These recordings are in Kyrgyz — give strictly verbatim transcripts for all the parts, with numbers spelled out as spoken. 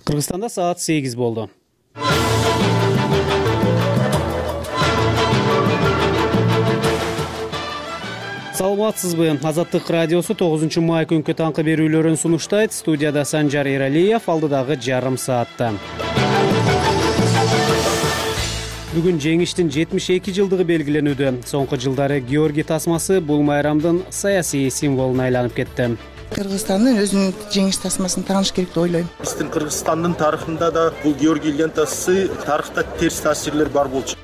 Кыргызстанда саат сегиз болду. Саламатсызбы? Азаттык радиосу тогузунчу май күнкү таңкы берүүлөрүн сунуштайт. Студияда Санжар Эралиев, алдыдагы жарым саатта. Бүгүн жеңиштин жетимиш эки жылдыгы белгиленүүдө. Соңку жылдары Георгий тасмасы бул майрамдын саясий символуна айланып кетти. Кыргызстандын өзүнүн жеңиш тасмасын тааныш керек деп ойлойм. Биздин Кыргызстандын тарыхында да бул Георгий лентасы тарыхта терс таасирлер бар болчу.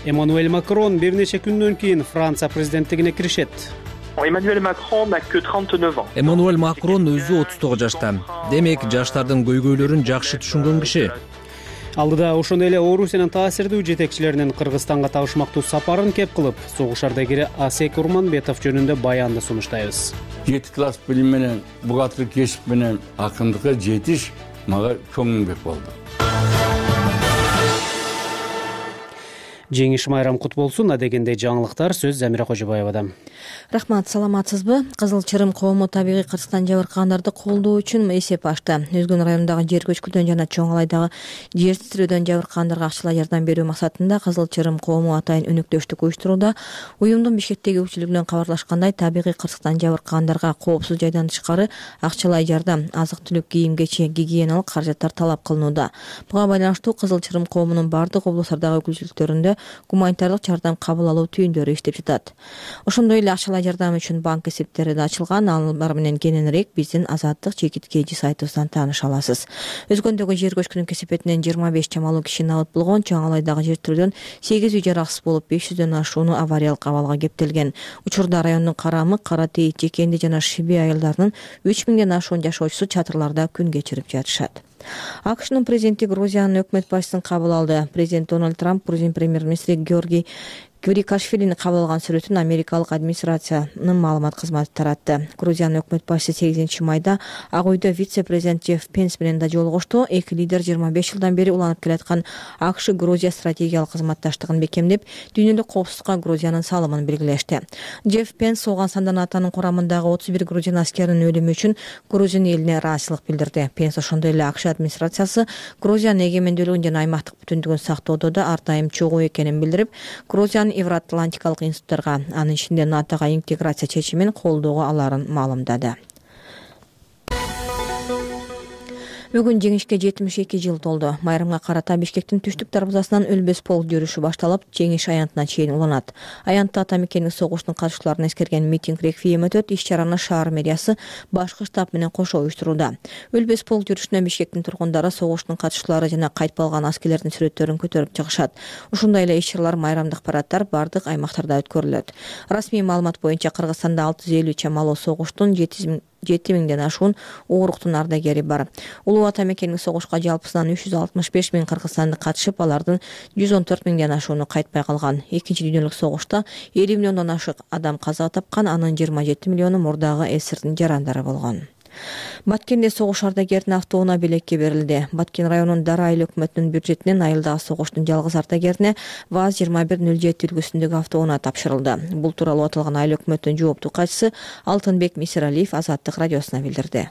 Эммануэль Макрон бир нече күндөн кийин Франция президенттигине киришет. Эммануэль Макрон n'a que trente-neuf ans. Эммануэль Макрон өзү отуз тогуз жашта. Демек, жаштардын көйгөйлөрүн жакшы түшүнгөн киши. Алдыда ошондой эле Орусиянын таасирдүү жетекчилеринин Кыргызстанга табышмактуу сапарын кеп кылып, согуш ардагери Асек Урманбетов жөнүндө баянды сунуштайбыз. жети класс билим менен бугатыр кесип менен акындыкка жетиш мага чоң эмгек болду. Жеңиш майрам кут болсун. Адегенде жаңылыктар сөз Замира Кожобаевада. Рахмат, саламатсызбы? Кызыл Чырым коому табигый кырсыктан жабыркагандарды колдоо үчүн эсеп ачты. Өзгөн районундагы жер көчкүдөн жана Чоң Алайдагы жер титирөөдөн жабыркагандарга акчалай жардам берүү максатында Кызыл Чырым коому атайын өнөктөштүк уюштурууда. Уюмдун Бишкектеги өкүлчүлүгүнөн кабарлашкандай, табигый кырсыктан жабыркагандарга коопсуз жайдан тышкары акчалай жардам, азык-түлүк, кийим-кечи, гигиеналык каражаттар талап кылынууда. Буга байланыштуу Кызыл Чырым коомунун бардык облустардагы өкүлчүлүктөрүндө гуманитардык жардам кабыл алуу түйүндөрү иштеп жатат. Ошондой эле акчалай жардам үчүн банк эсептери да ачылган. Алар менен кененирээк биздин Азаттык чекиткеji сайтыбыздан тааныша аласыз. Өзгөндөгү жер көчкүнүн кесепетинен жыйырма беш чамалуу киши набыт болгон. Чоң Алайдагы жер титирөөдөн сегиз үй жараксыз болуп, беш жүздөн ашууну авариялык абалга кептелген. Учурда райондун Карамык, Каратейит, Жекенди жана Шиби айылдарынын үч миңден ашуун жашоочусу чатырларда күн кечирип жатышат. АКШнын президенти Грузиянын өкмөт башчысын кабыл алды. Президент Дональд Трамп Грузин премьер-министри Георгий Квирикашвилини кабыл алган сүрөтүн Америкалык администрациянын маалымат кызматы таратты. Грузиянын өкмөт башчысы сегизинчи майда Ак үйдө вице-президент Джефф Пенс менен да жолугушту. Эки лидер жыйырма беш жылдан бери уланып келаткан АКШ-Грузия стратегиялык кызматташтыгын бекемдеп, дүйнөлүк коопсуздукка Грузиянын салымын белгилешти. Джефф Пенс соган сандан атанын курамындагы отуз бир грузин аскеринин өлүмү үчүн Грузин элине ыраазычылык билдирди. Пенс ошондой эле АКШ администрациясы Грузиянын эгемендүүлүгүн жана аймактык бүтүндүгүн сактоодо да ар дайым чогуу экенин билдирип, Грузиянын Евроатлантикалык институттарга, анын ичинде НАТОга интеграция чечимин колдоого аларын маалымдады. Бүгүн жеңишке жетимиш эки жыл толду. Майрамга карата Бишкектин түштүк дарбазасынан Өлбөс полк жүрүшү башталып, жеңиш аянтына чейин уланат. Аянтта ата мекендик согуштун катышууларын эскерген митинг реквием өтөт. Иш-чараны шаар мэриясы башкы штаб менен кошо уюштурууда. Өлбөс полк жүрүшүнө Бишкектин тургундары согуштун катышуулары жана кайтып алган аскерлердин сүрөттөрүн көтөрүп чыгышат. Ушундай эле иш-чаралар, майрамдык параддар бардык аймактарда өткөрүлөт. Расмий маалымат боюнча Кыргызстанда алты жүз элүү чамалуу согуштун жети миңден ашуун ооруктун ардагери бар. Улуу ата мекендик согушка жалпысынан үч жүз алтымыш беш миң кыргызстандык катышып, алардын жүз он төрт миңден ашууну кайтпай калган. Экинчи дүйнөлүк согушта элүү миллиондон ашык адам каза тапкан, анын жыйырма жети миллиону мурдагы СССРдин жарандары болгон. Баткенде согуш ардагеринин автоунаа белекке берилди. Баткен районунун Дара айыл өкмөтүнүн бюджетинен айылдагы согуштун жалгыз ардагерине ВАЗ жыйырма бир нөл жети үлгүсүндөгү автоунаа тапшырылды. Бул тууралуу аталган айыл өкмөтүнүн жооптуу катчысы Алтынбек Мисиралиев Азаттык радиосуна билдирди.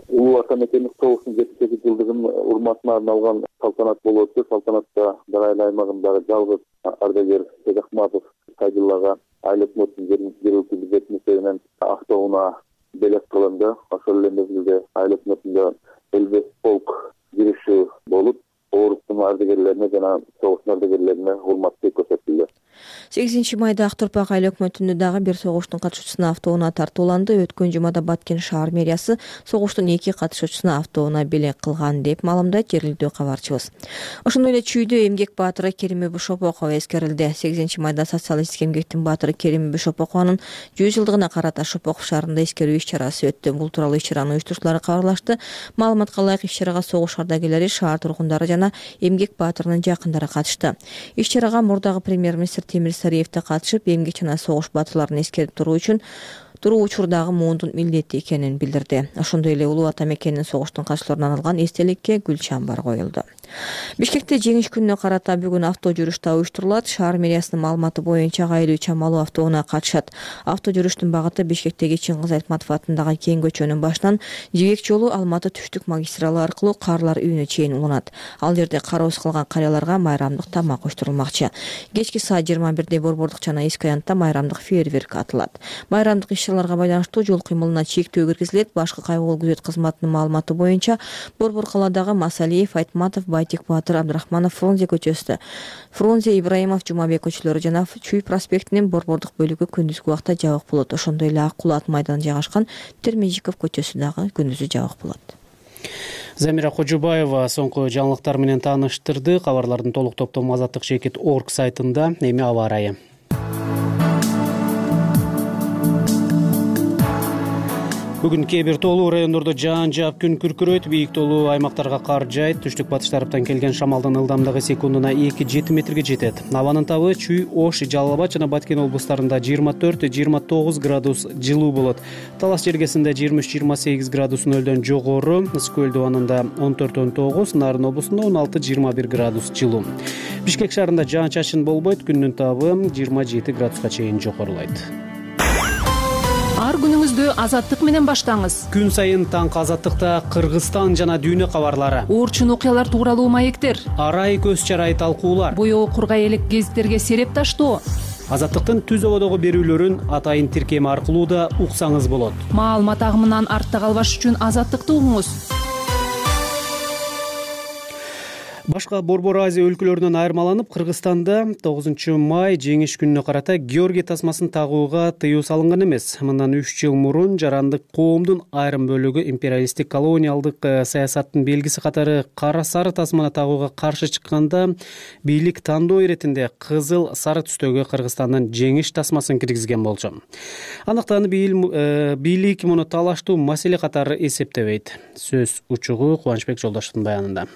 Улуу ата мекендик согуштун жетимиш эки жылдыгын урматына арналган салтанат болуп өтүп, салтанатта Дара айыл аймагындагы жалгыз ардагер Сезахматов Кайдыллага айыл өкмөтүнүн жергиликтүү бюджет эсебинен автоунаа белек кылынды. Ошол эле мезгилде айыл өкмөтүндө Өлбөс полк жүрүшү болуп, ооруктун ардагерлерине жана согуштун ардагерлерине урматтуу көрсөтүлдү. сегизинчи майда Ак Торпак айыл өкмөтүндө дагы бир согуштун катышуучусуна автоунаа тартууланды. Өткөн жумада Баткен шаар мэриясы согуштун эки катышуучусуна автоунаа белек кылган деп маалымдайт жергиликтүү кабарчыбыз. Ошондой эле Чүйдө эмгек баатыры Керим Бишопокова эскерилди. сегизинчи майда социалисттик эмгектин баатыры Керим Бишопокованын жүз жылдыгына карата Шопоков шаарында эскерүү иш-чарасы өттү. Бул тууралуу иш-чаранын уюштуруучулары кабарлашты. Маалыматка ылайык, иш-чарага согуш ардагерлери, шаар тургундары жана эмгек баатырынын жакындары катышты. Иш-чарага мурдагы премьер-министр Темир Сариев да катышып, эмгек жана согуш баатырларын эскерип туруу үчүн туруу учурдагы муундун милдети экенин билдирди. Ошондой эле улуу ата мекенин согуштун катчыларына арналган эстеликке гүл чамбар коюлду. Бишкекте жеңиш күнүнө карата бүгүн авто жүрүш да уюштурулат. Шаар мэриясынын маалыматы боюнча гаилүү чамалуу автоунаа катышат. Авто жүрүштүн багыты Бишкектеги Чыңгыз Айтматов атындагы кең көчөнүн башынан Жибек жолу Алматы түштүк магистралы аркылуу Карлар үйүнө чейин уланат. Ал жерде кароосуз калган карыяларга майрамдык тамак уюштурулмакчы. Кечки саат жыйырма бирде Борбордук жана Эски Аянтта майрамдык фейерверк атылат. Майрамдык иш-чараларга байланыштуу жол кыймылына чектөө киргизилет. Башкы кайгылуу күзөт кызматынын маалыматы боюнча Борбор калаадагы Масалиев, Айтматов, Байтик Батыр, Абдрахманов, Фрунзе көчөсүндө, Фрунзе, Ибраимов, Жумабек көчөлөрү жана Чүй проспектинин Борбордук бөлүгү күндүзгү убакта жабык болот. Ошондой эле Ак Кулат майданында жайгашкан Термежиков көчөсү дагы күндүзү жабык болот. Замира Кожубаева соңку жаңылыктар менен тааныштырды. Кабарлардын толук топтому азаттык чекит точка орг сайтында. Эми аба ырайы. Бүгүн кээ бир тоолуу райондордо жаан жаап күн күркүрөйт, бийик тоолуу аймактарга кар жаайт. Түштүк батыш тараптан келген шамалдын ылдамдыгы секундуна эки жети метрге жетет. Абанын табы Чүй, Ош, Жалал Абад жана Баткен облустарында жыйырма төрт жыйырма тогуз градус жылуу болот. Талас жергесинде жыйырма үч жыйырма сегиз градус нөлдөн жогору, Ысык көл дубанында он төрт он тогуз, Нарын облусунда он алты жыйырма бир градус жылуу. Бишкек шаарында жаан-чачын болбойт, күндүн табы жыйырма жети градуска чейин жогорулайт. Ар күнүңүздү азаттык менен баштаңыз. Күн сайын таңкы азаттыкта Кыргызстан жана дүйнө кабарлары, Оорчун окуялар тууралуу маектер, арай көз чарай талкуулар, боёо кургай элек гезиттерге сереп таштоо. Азаттыктын түз ободогу берүүлөрүн атайын тиркеми аркылуу да уксаңыз болот. Маалымат агымынан артта калбаш үчүн азаттыкты угуңуз. Башка Борбор Азия өлкөлөрүнөн айырмаланып, Кыргызстанда тогузунчу май жеңиш күнүнө карата Георгий тасмасын тагууга тыюу салынган эмес. Мындан үч жыл мурун жарандык коомдун айрым бөлүгү империалисттик колониалдык саясаттын белгиси катары кара сары тасманы тагууга каршы чыкканда, бийлик тандоо иретинде кызыл сары түстөгү Кыргызстандын жеңиш тасмасын киргизген болчу. Андыктан бийлик муну талаштуу маселе катары эсептебейт. Сөз учугу Кубанычбек Жолдоштун баянында.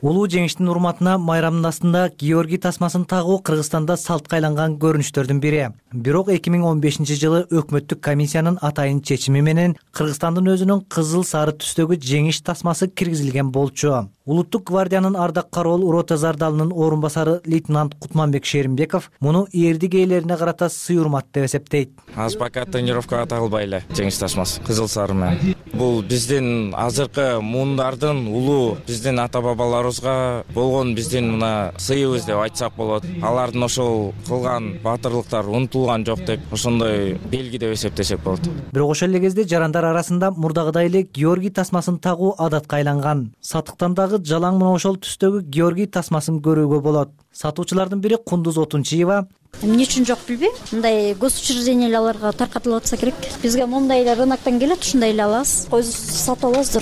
Улуу жеңиштин урматына майрамдын астында Георгий тасмасын тагуу Кыргызстанда салтка айланган көрүнүштөрдүн бири. Бирок эки миң он бешинчи жылы өкмөттүк комиссиянын атайын чечими менен Кыргызстандын өзүнүн кызыл сары түстөгү жеңиш тасмасы киргизилген болчу. Улуттук гвардиянын ардак кароол рота зардалынын орун басары лейтенант Кутманбек Шеримбеков муну эрдик ээлерине карата сый урмат деп эсептейт. Аз пока тренировкага тагылбай эле жеңиш тасмасы кызыл сары менен. Бул биздин азыркы муундардын улуу биздин ата бабаларыбызга болгон биздин мына сыйыбыз деп айтсак болот. Алардын ошол кылган баатырлыктары унутулган жок деп ошондой белги деп эсептесек болот. Бирок ошол эле кезде жарандар арасында мурдагыдай эле Георгий тасмасын тагуу адатка айланган. Сатыктан дагы жалаң мына ошол түстөгү Георгий тасмасын көрүүгө болот. Сатуучулардын бири Кундуз Отунчиева: Эмне үчүн жок билбейм. Мындай госучрежденияларга таркатылып кирет. Бизге моундай эле рыноктон келет, ушундай эле алабыз. Кой сатып алабыз,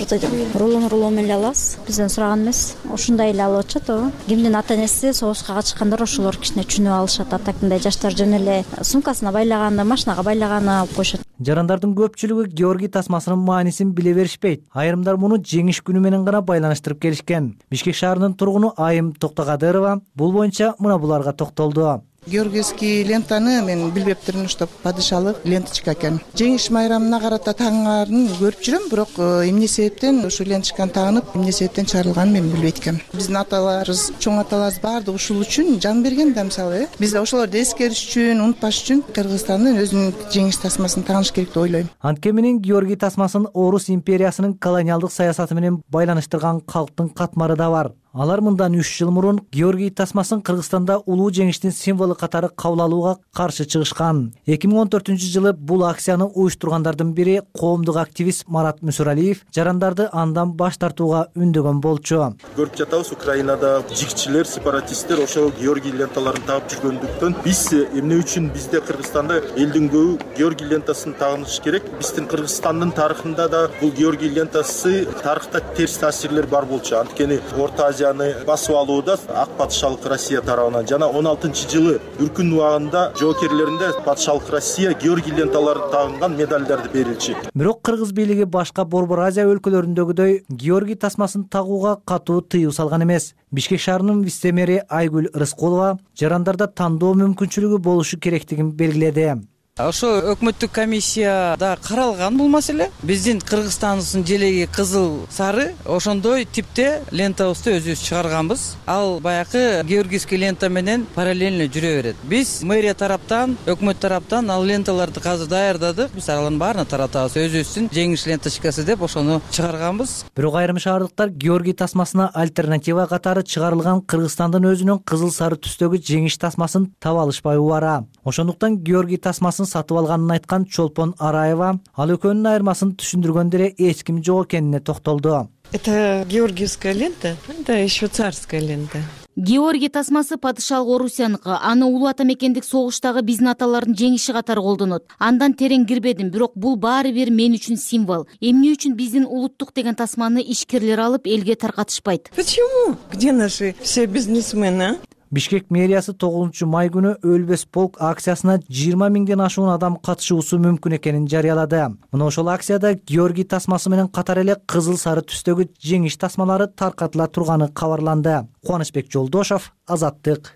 рулон рулон менен алабыз. Бизден сураган эмес. Ушундай эле алып атышат, ооба. Кимдин ата энеси согушка катышкандар ошолор кичине түшүнүп алышат. Атакындай жаштар жөн эле сумкасына байлаганы, машинага байлаганы алып коюшат. Жарандардын көпчүлүгү Георгий тасмасынын маанисин биле беришпейт. Айрымдар муну жеңиш күнү менен гана байланыштырып келишкен. Бишкек шаарынын тургуну Айым Токтогадырова бул боюнча мына буларга токтолду. Георгиевский лентаны мен билбептирмин, что падышалык ленточка экен. Жеңиш майрамына карата таңарын көрүп жүрөм, бирок эмне себептен ушу ленточканы тагынып, эмне себептен чыгарылганын мен билбейт экенмин. Биздин аталарыбыз, чоң аталарыбыз баардыгы ушул үчүн жан берген да, мисалы, биз ошолорду эскериш үчүн, унутпаш үчүн Кыргызстандын өзүнүн жеңиш тасмасын тагыныш керек деп ойлойм. Анткени менен Георгий тасмасын Орус империясынын колониалдык саясаты менен байланыштырган калктын катмары да бар. Алар мындан үч жыл мурун Георгий тасмасын Кыргызстанда улуу жеңиштин символу катары кабыл алууга каршы чыгышкан. эки миң он төртүнчү жылы бул акцияны уюштургандардын бири коомдук активист Марат Мүсүралиев жарандарды андан баш тартууга үндөгөн болчу. Көрүп жатабыз, Украинада жигчилер, сепаратисттер ошол Георгий ленталарын тагып жүргөндүктөн биз эмне үчүн бизде Кыргызстанда элдин көбү Георгий лентасын тагыныш керек? Биздин Кыргызстандын тарыхында да бул Георгий лентасы тарыхта терс таасирлер бар болчу. Анткени Орто Азия басып алууда ак патышалык Россия тарабынан жана он алтынчы жылы үркүн убагында жоокерлеринде патышалык Россия Георгий ленталары тагылган медальдарды берилчү. Бирок кыргыз бийлиги башка Борбор Азия өлкөлөрүндөгүдөй Георгий тасмасын тагууга катуу тыюу салган эмес. Бишкек шаарынын вице-мэри Айгүл Рыскулова жарандарда тандоо мүмкүнчүлүгү болушу керектигин белгиледи. Ошо өкмөттүк комиссияда каралган бул маселе. Биздин Кыргызстандын желеги кызыл сары ошондой типте лентабызды өзүбүз чыгарганбыз. Ал баягы георгиевский лента менен параллельно жүрө берет. Биз мэрия тараптан, өкмөт тараптан ал ленталарды азыр даярдадык. Биз алардын баарына таратабыз. Өзүбүздүн жеңиш ленточкасы деп ошону чыгарганбыз. Бирок айрым шаардыктар георгий тасмасына альтернатива катары чыгарылган Кыргызстандын өзүнүн кызыл сары түстөгү жеңиш тасмасын таба алышпай убара. Ошондуктан георгий тасмасын сатып алганын айткан Чолпон Араева ал экөөнүн айырмасын түшүндүргөндө эле эч ким жок экенине токтолду. Это георгиевская лента, это еще царская лента. Георгий тасмасы падышалык Орусияныкы. Аны улуу ата мекендик согуштагы биздин аталардын жеңиши катары колдонот. Андан терең кирбедим, бирок бул баары бир мен үчүн символ. Эмне үчүн биздин улуттук деген тасманы ишкерлер алып элге таркатышпайт? Почему? Где наши все бизнесмены? Бишкек мэриясы тогузунчу май күнү өлбөс полк акциясына жыйырма миңден ашуун адам катышуусу мүмкүн экенин жарыялады. Мына ошол акцияда георгий тасмасы менен катар эле кызыл сары түстөгү жеңиш тасмалары таркатыла турганы кабарланды. Кубанычбек Жолдошов, Азаттык.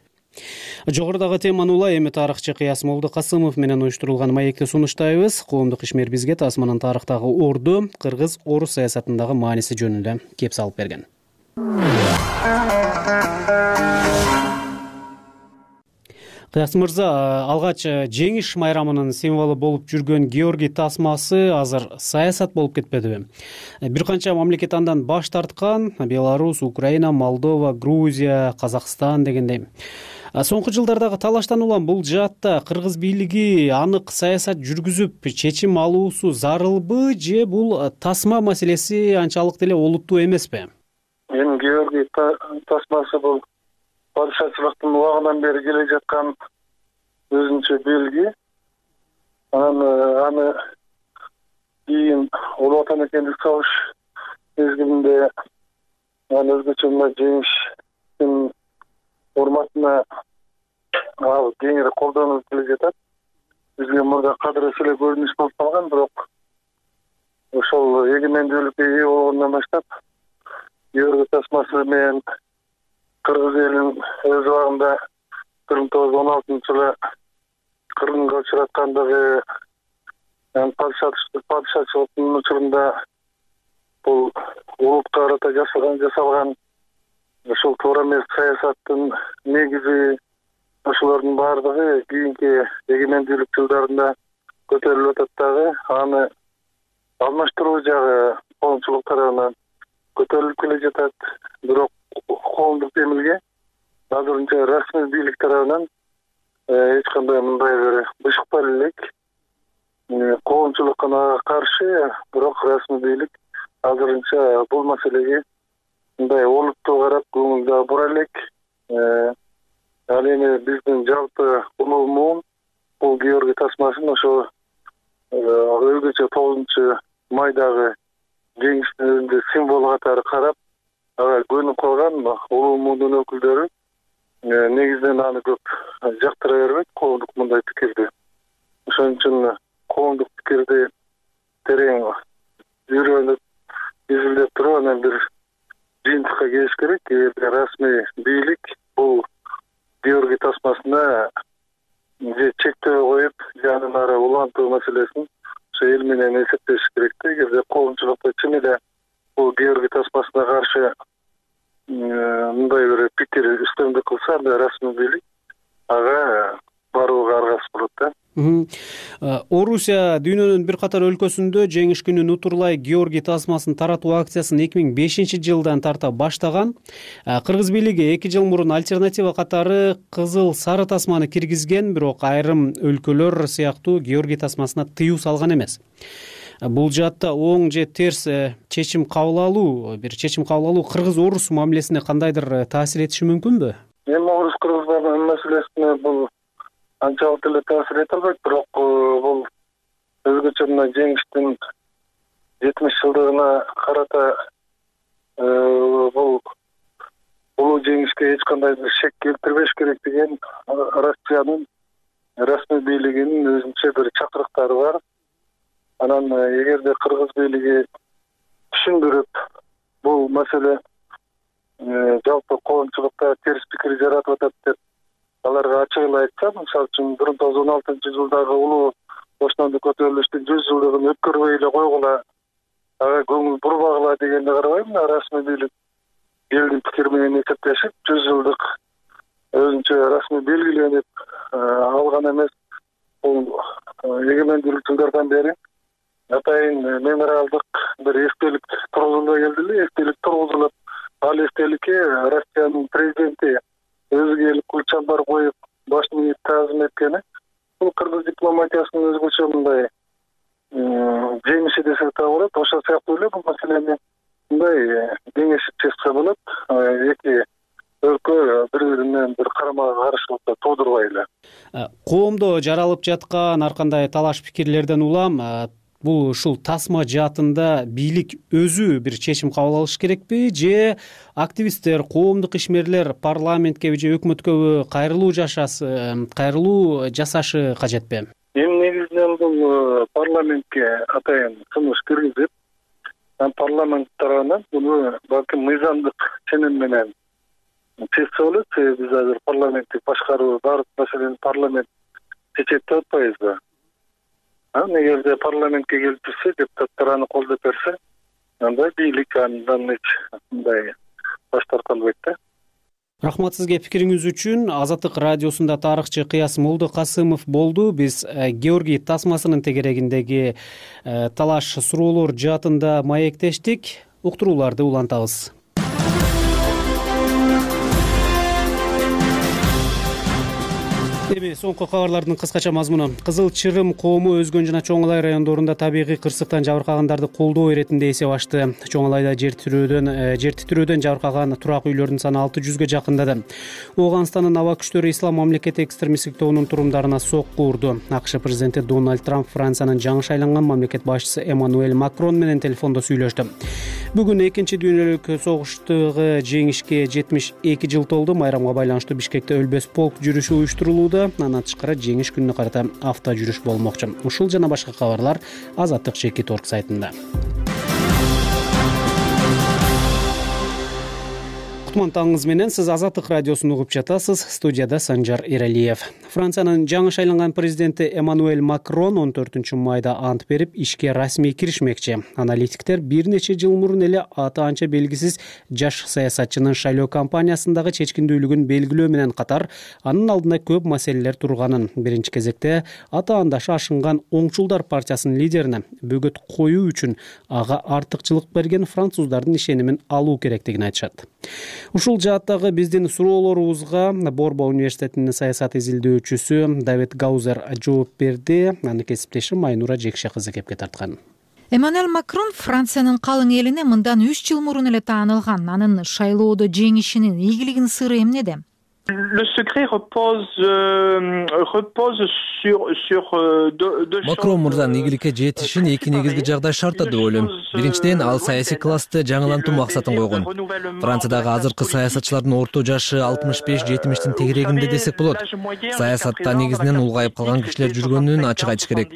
Жогорудагы теманы улай эми тарыхчы Кыясмолду Касымов менен уюштурулган маекти сунуштайбыз. Коомдук ишмер бизге тасманын тарыхтагы орду, кыргыз-орус саясатындагы мааниси жөнүндө кеп салып берген. Кыяс мырза, алгач жеңиш майрамынын символу болуп жүргөн георгий тасмасы азыр саясат болуп кетпедиби? Бир канча мамлекет андан баш тарткан: Беларусь, Украина, Молдова, Грузия, Казакстан дегендей. Соңку жылдардагы талаштан улам бул жаатта кыргыз бийлиги анык саясат жүргүзүп чечим алуусу зарылбы, же бул тасма маселеси анчалык деле олуттуу эмеспи? Эми георгий тасмасы бул падышачылыктын убагынан бери келе жаткан өзүнчө белги. Аны аны кийин улуу ата мекендик согуш мезгилинде аны өзгөчө мына жеңиштин урматына ал кеңири колдонуп келе жатат. Бизге мурда кадырысы эле көрүнүш болуп калган, бирок ошол эгемендүүлүккө ээ болгондон баштап георгий тасмасы менен кыргыз элин өз убагында бир миң тогуз жүз он алтынчы жылы кыргынга учураткандыгы, падышачылыктын учурунда бул улутка карата жасалган жасалган ушул туура эмес саясаттын негизи, ошолордун баардыгы кийинки эгемендүүлүк жылдарында көтөрүлүп атат дагы. Аны алмаштыруу жагы коомчулук тарабынан көтөрүлүп келе жатат. Бирок коомдук демилге азырынча расмий бийлик тарабынан эч кандай мындай бир бышык бар элек. Коомчулук ага каршы, бирок расмий бийлик азырынча бул маселеге мындай олуттуу карап көңүл бура элек. Ал эми биздин жалпы улуу муун бул георгий тасмасын ошо өзгөчө тогузунчу майдагы жеңиштин өзүндө символ катары карап ага көнүп калган улуу муундун өкүлдөрү негизинен аны көп жактыра бербейт, коомдук мындай пикирди. Ошон үчүн коомдук пикирди терең үйрөнүп, изилдеп туруп анан бир жыйынтыкка келиш керек. Эгерде расмий бийлик бул георгий тасмасына же чектөө коюп, же андан ары улантуу маселесин ошо эл менен эсептеш керек да. Эгерде коомчулукта чын эле бул георгий тасмасына каршы мындай бир пикир үстөмдүк кылса, анда расмий бийлик ага барууга аргасыз болот да. Орусия дүйнөнүн бир катар өлкөсүндө жеңиш күнүн утурлай георгий тасмасын таратуу акциясын эки миң бешинчи жылдан тарта баштаган. Кыргыз бийлиги эки жыл мурун альтернатива катары кызыл сары тасманы киргизген, бирок айрым өлкөлөр сыяктуу георгий тасмасына тыюу салган эмес. Бул жаатта оң же терс чечим кабыл алуу, бир чечим кабыл алуу кыргыз-орус мамилесине кандайдыр таасир этиши мүмкүнбү? Эми орус-кыргыз маселесине бул анчалык эле таасир эте албайт, бирок бул өзгөчө мына жеңиштин жетимиш жылдыгына карата бул улуу жеңишке эч кандай бир шек келтирбеш керек деген Россиянын расмий бийлигинин өзүнчө бир чакырыктары бар. Анан эгерде кыргыз бийлиги түшүндүрүп бул маселе жалпы коомчулукта терс пикир жаратып атат деп аларга ачык эле айтса, мисалы үчүн бир миң тогуз жүз он алтынчы жылдагы улуу бостандык көтөрүлүштүн жүз жылдыгын өткөрбөй эле койгула, ага көңүл бурбагыла дегенди карабайм. Расмий бийлик элдин пикири менен эсептешип, жүз жылдык өзүнчө расмий белгиленип алган эмес. Бул эгемендүүлүк жылдардан бери атайын мемориалдык бир эстелик тургузула келди эле. Эстелик тургузулуп, ал эстеликке Россиянын президенти өзү келип гүл чамбар коюп башын ийип таазим эткени бул кыргыз дипломатиясынын өзгөчө мындай жемиши десек да болот. Ошол сыяктуу эле бул маселени мындай кеңешип чечсе болот. Эки өлкө бири-бири менен бир карама каршылыкты туудурбай эле. Коомдо жаралып жаткан ар кандай талаш пикирлерден улам бул ушул тасма жаатында бийлик өзү бир чечим кабыл алыш керекпи, же активисттер, коомдук ишмерлер парламентке же өкмөткө кайрылуу жашасы, кайрылуу жасашы кажетпи? Эми негизинен бул парламентке атайын сунуш киргизип, парламент тарабынан буну балким мыйзамдык ченем менен чечсе болот. Себеби биз азыр парламенттик башкаруу баардык маселени парламент чечет деп атпайбызбы? Эгерде парламентке келип жүрсө, депутаттар аны колдоп берсе, анда бийлик андан эч мындай баш тарта албайт да. Рахмат сизге пикириңиз үчүн. Азаттык радиосунда тарыхчы Кыяс Молдокасымов болду. Биз Георгий тасмасынын тегерегиндеги талаш суроолор жаатында маектештик. Уктурууларды улантабыз. Эми соңку кабарлардын кыскача мазмуну. Кызыл Чырым коому Өзгөн жана Чоң Алай райондорунда табигый кырсыктан жабыркагандарды колдоо иретинде эсеп ачты. Чоң Алайда жер титирөөдөн жер титирөөдөн жабыркаган турак үйлөрдүн саны алты жүзгө жакындады. Ооганстандын аба күчтөрү Ислам мамлекети экстремисттик тобунун турумдарына сокку урду. АКШ президенти Дональд Трамп Франциянын жаңы шайланган мамлекет башчысы Эммануэль Макрон менен телефондо сүйлөштү. Бүгүн экинчи дүйнөлүк согуштагы жеңишке жетимиш эки жыл толду. Майрамга байланыштуу Бишкекте өлбөс полк жүрүшү уюштурулууда. Андан тышкары жеңиш күнүнө карата авто жүрүш болмокчу. Ушул жана башка кабарлар Азаттык чекит орг сайтында. Кутман таңыңыз менен, сиз Азаттык радиосун угуп жатасыз. Студияда Санжар Эралиев. Франциянын жаңы шайланган президенти Эммануэль Макрон он төртүнчү майда ант берип, ишке расмий киришмекчи. Аналитиктер бир нече жыл мурун эле аты анча белгисиз жаш саясатчынын шайлоо кампаниясындагы чечкиндүүлүгүн белгилөө менен катар, анын алдында көп маселелер турганын, биринчи кезекте ата-андашы ашынган Оңчулдар партиясынын лидерине бөгөт коюу үчүн ага артыкчылык берген француздардын ишенимин алуу керектигин айтышат. Ушул жааттагы биздин суроолорубузга Борбо университетинин саясат изилдөөчүсү Давид Гаузер жооп берди. Аны кесиптешим Айнура Жекше кызы кепке тарткан. Эммануэль Макрон Франциянын калың элине мындан үч жыл мурун эле таанылган. Анын шайлоодо жеңишинин ийгилигинин сыры эмнеде? Le secret repose euh, repose sur sur euh, deux deux choses. Макрон мырзанын ийгиликке жетишин эки негизги жагдай шарттады деп ойлойм. Биринчиден, ал саясий классты жаңылантуу максатын койгон. Франциядагы азыркы саясатчылардын орто жашы алтымыш беш жетимиштин тегерегинде десек болот. Саясатта негизинен улгайып калган кишилер жүргөнүн ачык айтыш керек.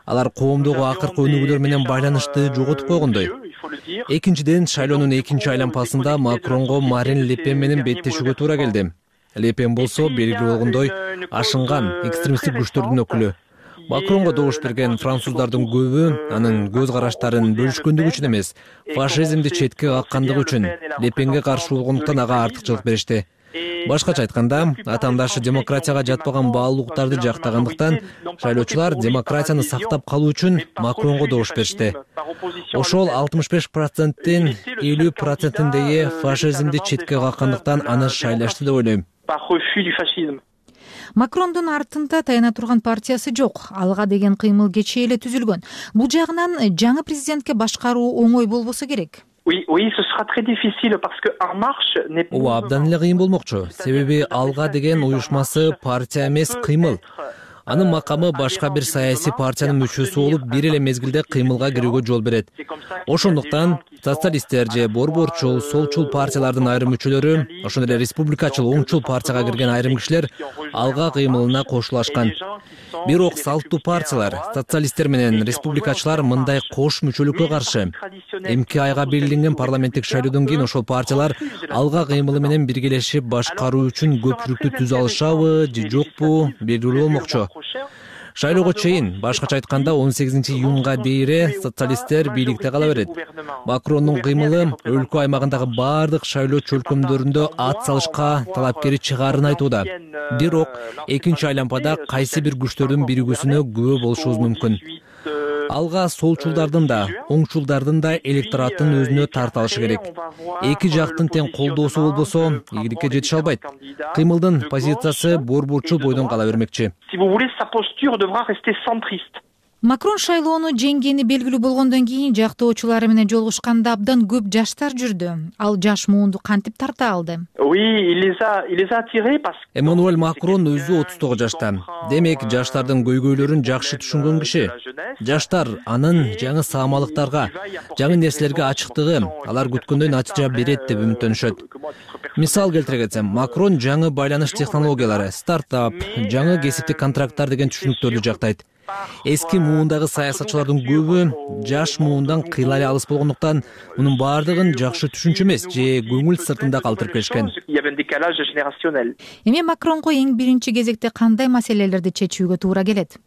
Алар коомдогу акыркы өнүгүүлөр менен байланышты жоготуп койгондой. Экинчиден, шайлоонун экинчи айланмасында Макронго Марин Ле Пен менен беттешүүгө туура келди. Ле Пен болсо белгилүү болгондой ашынган экстремисттик күчтөрдүн өкүлү. Макронго добуш берген француздардын көбү анын көз караштарын бөлүшкөндүгү үчүн эмес, фашизмди четке каккандыгы үчүн Ле Пенге каршы болгондуктан ага артыкчылык беришти. Башкача айтканда, атаандашы демократияга жатпаган баалуулуктарды жактагандыктан шайлоочулар демократияны сактап калуу үчүн Макронго добуш беришти. Ошол алтымыш беш проценттин элүү процентиндеги фашизмди четке каккандыктан аны шайлашты деп ойлойм. Макрондун артында таяна турган партиясы жок. Алга деген кыймыл кечээ эле түзүлгөн. Бул жагынан жаңы президентке башкаруу оңой болбосо керек. Oui, oui, ce sera très difficile parce que En Marche n'est pas. Ооба, абдан эле кыйын болмокчу. Себеби Алга деген уюшмасы партия эмес, кыймыл. Анын макамы башка бир саясий партиянын мүчөсү болуп, бир эле мезгилде кыймылга кирүүгө жол берет. Ошондуктан социалисттер же борборчул, солчул партиялардын айрым мүчөлөрү, ошондой эле республикачыл, оңчул партияга кирген айрым кишилер Алга кыймылына кошулашкан. Бирок салттуу партиялар, социалисттер менен республикачылар мындай кош мүчөлүккө каршы. Эмки айга белгиленген парламенттик шайлоодон кийин ошол партиялар Алга кыймылы менен биргелешип башкаруу үчүн көпчүлүктү түзө алышабы же жокпу белгилүү болмокчу. Шайлоого чейин, башкача айтканда он сегизинчи июнга дейре социалисттер бийликте кала берет. Макрондун кыймылы өлкө аймагындагы бардык шайлоо чөлкөмдөрүндө ат салышка талапкери чыгаарын айтууда. Бирок экинчи айлампада кайсы бир күчтөрдүн биригүүсүнө күбө болушубуз мүмкүн. Алга солчулдардын да, оңчулдардын да электораттын өзүнө тарта алышы керек. Эки жактын тең колдоосу болбосо, ийгиликке жетише албайт. Кыймылдын позициясы борборчул бойдон кала бермекчи. Макрон шайлоону жеңгени белгилүү болгондон кийин жактоочулары менен жолугушканда абдан көп жаштар жүрдү. Ал жаш муунду кантип тарта алды? Эммануэль Макрон өзү отуз тогуз жашта. Демек, жаштардын көйгөйлөрүн жакшы түшүнгөн киши. Жаштар анын жаңы саамалыктарга, жаңы нерселерге ачыктыгы, алар күткөндөй натыйжа берет деп үмүттөнүшөт. Мисал келтире кетсем, Макрон жаңы байланыш технологиялары, стартап, жаңы кесиптик контракттар деген түшүнүктөрдү жактайт. Эски муундагы саясатчылардын көбү жаш муундан кыйла эле алыс болгондуктан мунун баардыгын жакшы түшүнчү эмес же көңүл сыртында калтырып келишкен. Эми Макронго эң биринчи кезекте кандай маселелерди чечүүгө туура келет?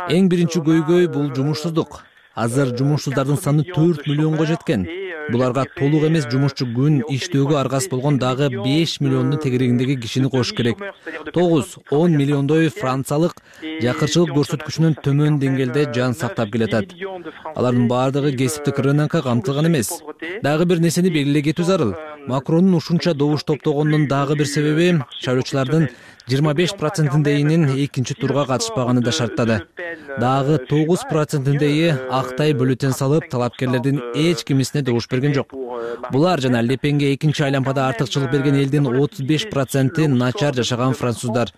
Эң биринчи көйгөй бул жумушсуздук. Азыр жумушсуздардын саны төрт миллионго жеткен. Буларга толук эмес жумушчу күн иштөөгө аргасыз болгон дагы беш миллиондун тегерегиндеги кишини кош керек. тогуз он миллиондой франциялык жакырчылык көрсөткүчүнүн төмөн деңгээлде жан сактап келатат. Алардын баардыгы кесиптик рынокко камтылган эмес. Дагы бир нерсени белгилей кетүү зарыл. Макрондун ушунча добуш топтогонунун дагы бир себеби шайлоочулардын жыйырма беш процентиндейинин экинчи турга катышпаганы да шарттады. Дагы тогуз процентиндейи актай бюллетень салып, талапкерлердин эч кимисине добуш берген жок. Булар жана Ле Пенге экинчи айлампада артыкчылык берген элдин отуз беш проценти начар жашаган француздар.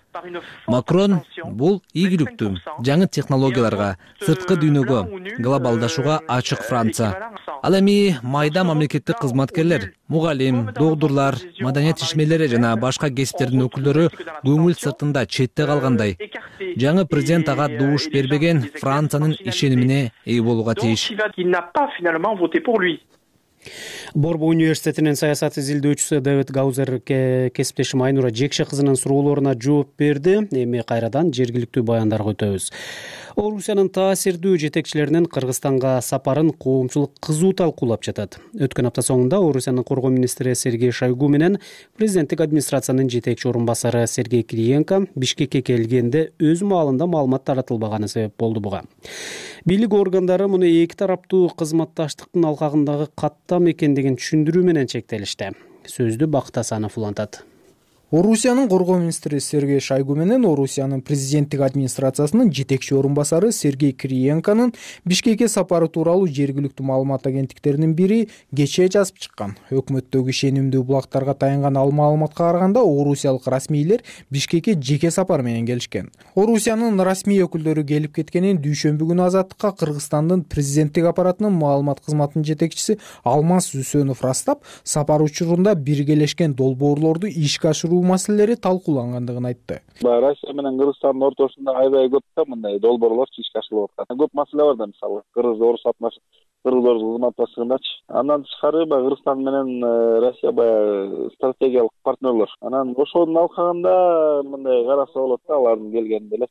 Макрон бул ийгиликтүү, жаңы технологияларга, сырткы дүйнөгө, глобалдашууга ачык Франция. Ал эми майда мамлекеттик кызматкерлер, мугалим, доктурлар, маданият ишмерлери жана башка кесиптердин өкүлдөрү көңүл сыртында четте калгандай. Жаңы президент ага добуш бербеген Франциянын ишенимине ээ болууга тийиш. Борбо университетинин саясат изилдөөчүсү Дэвид Гаузер кесиптешим Айнура Жекше кызынын суроолоруна жооп берди. Эми кайрадан жергиликтүү баяндарга өтөбүз. Орусиянын таасирдүү жетекчилеринин Кыргызстанга сапарын коомчулук кызуу талкуулап жатат. Өткөн апта соңунда Орусиянын коргоо министри Сергей Шойгу менен президенттик администрациянын жетекчи орун басары Сергей Кириенко Бишкекке келгенде өз маалында маалымат таратылбаганы себеп болду буга. Бийлик органдары муну эки тараптуу кызматташтыктын алкагындагы каттам экендигин түшүндүрүү менен чектелишти. Сөздү Бакыт Асанов улантат. Орусиянын коргоо министри Сергей Шойгу менен Орусиянын президенттик администрациясынын жетекчи орун басары Сергей Кириенконун Бишкекке сапары тууралуу жергиликтүү маалымат агенттиктеринин бири кечээ жазып чыккан. Өкмөттөгү ишенимдүү булактарга таянган ал маалыматка караганда орусиялык расмийлер Бишкекке жеке сапар менен келишкен. Орусиянын расмий өкүлдөрү келип кеткенин дүйшөмбү күнү Азаттыкка Кыргызстандын президенттик аппаратынын маалымат кызматынын жетекчиси Алмаз Үсөнов растап, сапар учурунда биргелешкен долбоорлорду ишке ашыруу маселелери талкуулангандыгын айтты. Россия менен Кыргызстандын ортосунда аябай көп да мындай долбоорлор ишке ашырылып аткан. Көп маселе бар да, мисалы Кыргыз-Орус атмаш кыргыз-орус кызматташтыгындачы. Андан тышкары баягы Кыргызстан менен Россия баягы стратегиялык партнерлор. Анан ошонун алкагында мындай караса болот да, алардын келгенин эле.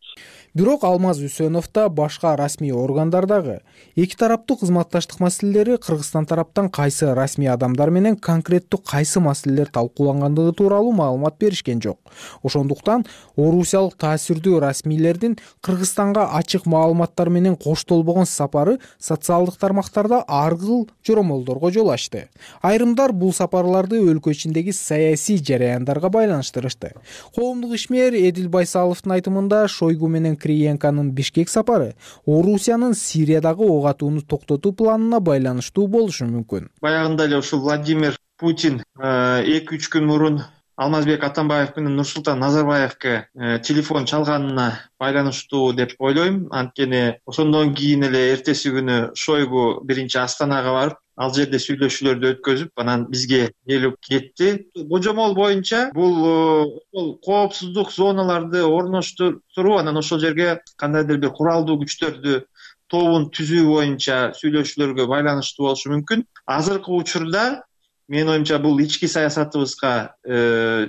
Бирок Алмаз Үсөнов да башка расмий органдардагы эки тараптуу кызматташтык маселелери Кыргызстан тараптан кайсы расмий адамдар менен конкреттүү кайсы маселелер талкуулангандыгы тууралуу маалымат беришкен жок. Ошондуктан орусиялык таасирдүү расмийлердин Кыргызстанга ачык маалыматтар менен коштолбогон сапары социалдык тармактарда аргыл жоромолдорго жол ачты. Айрымдар бул сапарларды өлкө ичиндеги саясий жараяндарга байланыштырышты. Коомдук ишмер Эдил Байсаловдун айтымында Шойгу менен Кириенконун Бишкек сапары Орусиянын Сириядагы ок атууну токтотуу планына байланыштуу болушу мүмкүн. Баягында эле ушул Владимир Путин эки үч күн мурун Алмазбек Атамбаев менен Нурсултан Назарбаевке телефон чалганына байланыштуу деп ойлойм. Анткени ошондон кийин эле эртеси күнү Шойгу биринчи Астанага барып, ал жерде сүйлөшүүлөрдү өткөзүп, анан бизге келип кетти. Божомол боюнча бул коопсуздук зоналарды орноштуруу, анан ошол жерге кандайдыр бир куралдуу күчтөрдү тобун түзүү боюнча сүйлөшүүлөргө байланыштуу болушу мүмкүн. Азыркы учурда менин оюмча бул ички саясатыбызга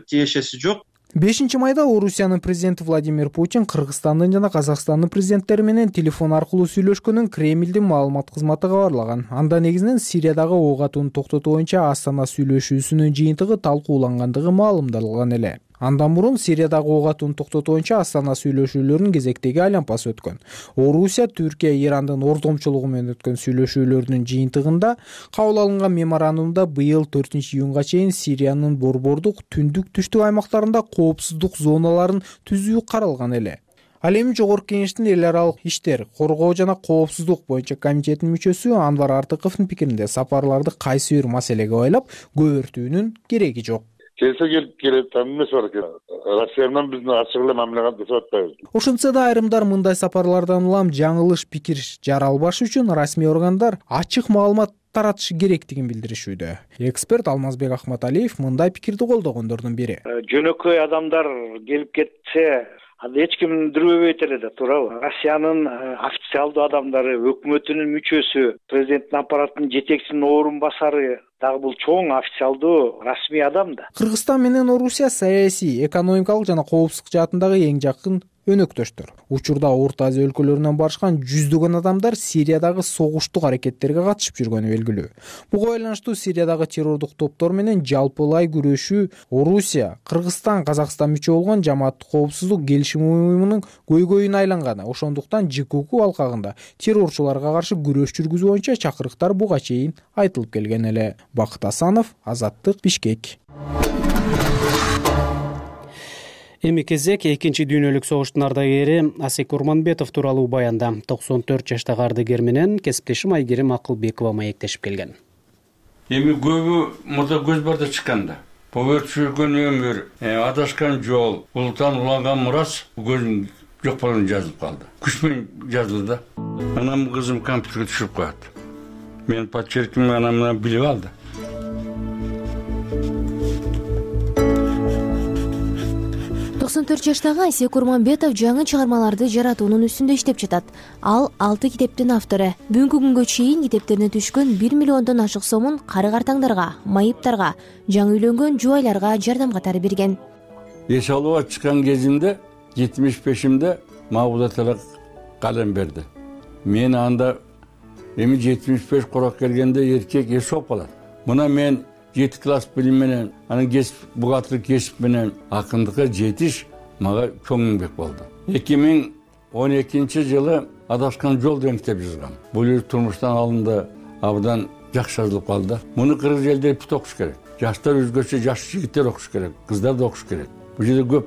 тиешеси жок. бешинчи майда Орусиянын президенти Владимир Путин Кыргызстандын жана Казакстандын президенттери менен телефон аркылуу сүйлөшкөнүн Кремлдин маалымат кызматы кабарлаган. Анда негизинен Сириядагы ок атууну токтотуу боюнча Астана сүйлөшүүсүнүн жыйынтыгы талкуулангандыгы маалымдалган эле. Андан мурун Сириядагы ок атууну токтотуу боюнча Астана сүйлөшүүлөрүнүн кезектеги айланпасы өткөн. Орусия, Түркия, Ирандын ордомчулугу менен өткөн сүйлөшүүлөрдүн жыйынтыгында кабыл алынган меморандумда быйыл төртүнчү июнга чейин Сириянын борбордук түндүк түштүк аймактарында коопсуздук зоналарын түзүү каралган эле. Ал эми Жогорку Кеңештин эл аралык иштер, коргоо жана коопсуздук боюнча комитетинин мүчөсү Анвар Артыковдун пикиринде сапарларды кайсы бир маселеге байлап көбөртүүнүн кереги жок. Келсе келип келет, эмес бар экен. Россия менен биздин ачык эле мамиле жасап атпайбыз. Ошентсе да айрымдар мындай сапарлардан улам жаңылыш пикир жаралбаш үчүн расмий органдар ачык маалымат таратышы керектигин билдиришүүдө. Эксперт Алмазбек Ахматалиев мындай пикирди колдогондордун бири. Жөнөкөй адамдар келип кетсе, анда эч ким дүрбөбөйт эле да, туурабы? Россиянын официалдуу адамдары, өкмөтүнүн мүчөсү, президенттин аппаратынын жетекчисинин орун басары дагы бул чоң официалдуу расмий адам да. Кыргызстан менен Орусия саясий, экономикалык жана коопсуздук жаатындагы эң жакын өнөктөштөр. Учурда Орто Азия өлкөлөрүнөн барышкан жүздөгөн адамдар Сириядагы согуштук аракеттерге катышып жүргөнү белгилүү. Буга байланыштуу Сириядагы террордук топтор менен жалпылай күрөшүү Орусия, Кыргызстан, Казакстан мүчө болгон Жамааттык коопсуздук келишими уюмунун көйгөйүнө айланган. Ошондуктан ЖКУ алкагында террорчуларга каршы күрөш жүргүзүү боюнча чакырыктар буга чейин айтылып келген эле. Бакыт Асанов, Азаттык, Бишкек. Эми кезек экинчи дүйнөлүк согуштун ардагери Асек Урманбетов тууралуу баянда. токсон төрт жаштагы ардагер менен кесиптешим Айгерим Акылбекова маектешип келген. Эми көбү мурда көз барда чыкканда. Повер чүргөн өмүр, адашкан жол, улуттан уланган мурас көзүм жок болгон жазылып калды. Күч менен жазылды да. Анам кызым компьютерге түшүрүп коет. Мен подчерким анам менен билип алды. токсон төрт жаштагы Асек Урманбетов жаңы чыгармаларды жаратуунун үстүндө иштеп жатат. Ал алты китептин автору. Бүгүнкү күнгө чейин китептерине түшкөн бир миллиондон ашык сомун кары-картаңдарга, майыптарга, жаңы үйлөнгөн жубайларга жардам катары берген. Эч алууга чыккан кезимде жетимиш бешимде Мабуда Талак калем берди. Мен анда эми жетимиш беш корок келгенде эркек эс болуп калат. Мына мен жети класс билим менен, анан кесип бухгалтерлик кесип менен акындыкка жетиш мага чоң эмгек болду. эки миң он экинчи жылы Адашкан жол деген китеп жазгам. Бул турмуштан алынды, абдан жакшы жазылып калды. Муну кыргыз элдери бүт окуш керек. Жаштар өзгөчө жаш жигиттер окуш керек, кыздар да окуш керек. Бул жерде көп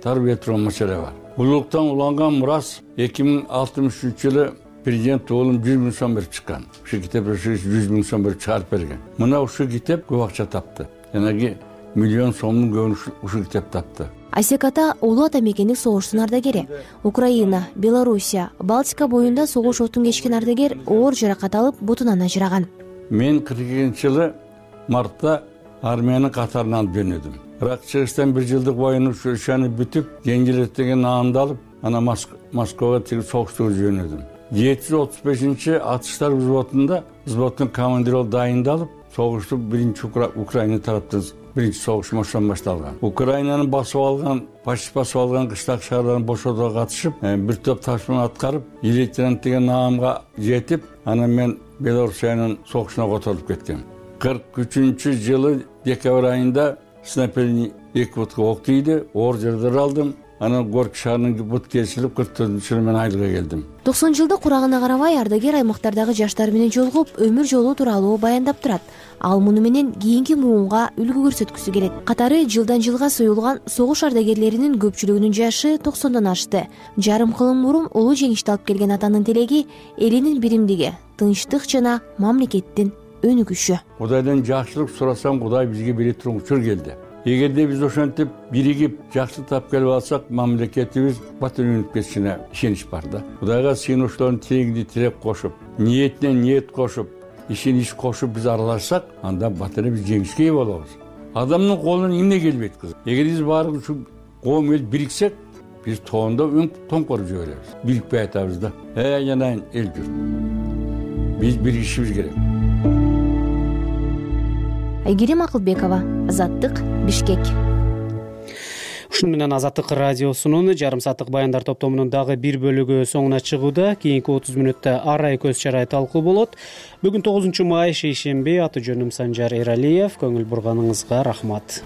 тарбия турган маселе бар. Улуктан уланган мурас эки миң алтымыш үчүнчү жылы президент оолум жүз миң сом берип чыккан. Ушу китеп жүз миң сом берип чыгарып берген. Мына ушу китеп көп акча тапты. Жанагы миллион сомдун көбүн ушу китеп тапты. Асек ата улуу ата мекендик согуштун ардагери. Украина, Белоруссия, Балтика боюнда согуш отун кечкен ардагер оор жаракат алып бутунан ажыраган. Мен кырк экинчи жылы мартта армиянын катарына алып жөнөдүм. Бирок чыгыштан бир жылдык боюн ушаны бүтүп, жеңилет деген наамды алып, анан Москвага тиги согушту жөнөдүм. жети жүз отуз бешинчи атыштар взводунда взводдун командири болуп дайындалып, согушту биринчи Украина тараптан биринчи согуш ошондон башталган. Украинаны басып алган, почти басып алган кыштак шаарларын бошотууга катышып, бир топ тапшырма аткарып, лейтенант деген наамга жетип, анан мен Белоруссиянын согушуна которулуп кеткем. кырк үчүнчү жылы декабрь айында снайпердин эки бутка ок тийди, оор жарадар алдым. Анан Горки шаарынын бут кесилип, кырк төртүнчү жылы мен айылга келдим. токсон жылдык курагына карабай ардагер аймактардагы жаштар менен жолугуп, өмүр жолу тууралуу баяндап турат. Ал муну менен кийинки муунга үлгү көрсөткүсү келет. Катары жылдан жылга союлган согуш ардагерлеринин көпчүлүгүнүн жашы токсондон ашты. Жарым кылым мурун улуу жеңишти алып келген атанын тилеги элинин биримдиги, тынчтык жана мамлекеттин өнүгүшү. Кудайдан жакшылык сурасам, Кудай бизге бере турган учур келди. Эгерде биз ошентип биригип жакшылык тап келип алсак, мамлекетибиз бат өнүгүп кетишине ишенич бар да. Кудайга сыйынуучулардын тилегине тилек кошуп, ниетине ниет кошуп, ишин иш кошуп биз аралашсак, анда батыры биз жеңишке ээ болобуз. Адамдын колунан эмне келбейт кыз. Эгер биз баары ушу коом эл бириксек, биз тоондо өң тоңкоруп жиберебиз. Бирикпей атабыз да. Э, жанайын эл журт. Биз биригишибиз керек. Айгерим Акылбекова, Азаттык, Бишкек. Ушуну менен Азаттык радиосунун жарым сааттык баяндар топтомунун дагы бир бөлүгү соңуна чыгууда. Кийинки отуз мүнөттө арай көз чарай талкуу болот. Бүгүн тогузунчу май шейшемби. Аты жөнүм Санжар Эралиев. Көңүл бурганыңызга рахмат.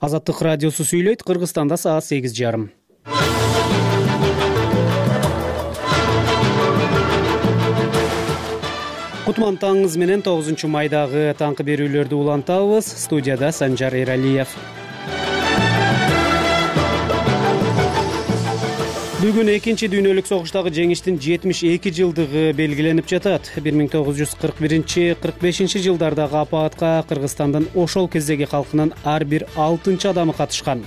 Азаттык радиосу сүйлөйт. Кыргызстанда саат сегиз жарым. Кутман таңыңыз менен тогузунчу майдагы таңкы берүүлөрдү улантабыз. Студияда Санжар Эралиев. Бүгүн экинчи дүйнөлүк согуштагы жеңиштин жетимиш эки жылдыгы белгиленип жатат. бир миң тогуз жүз кырк биринчи кырк бешинчи жылдардагы апаатка Кыргызстандын ошол кездеги калкынын ар бир алтынчы адамы катышкан.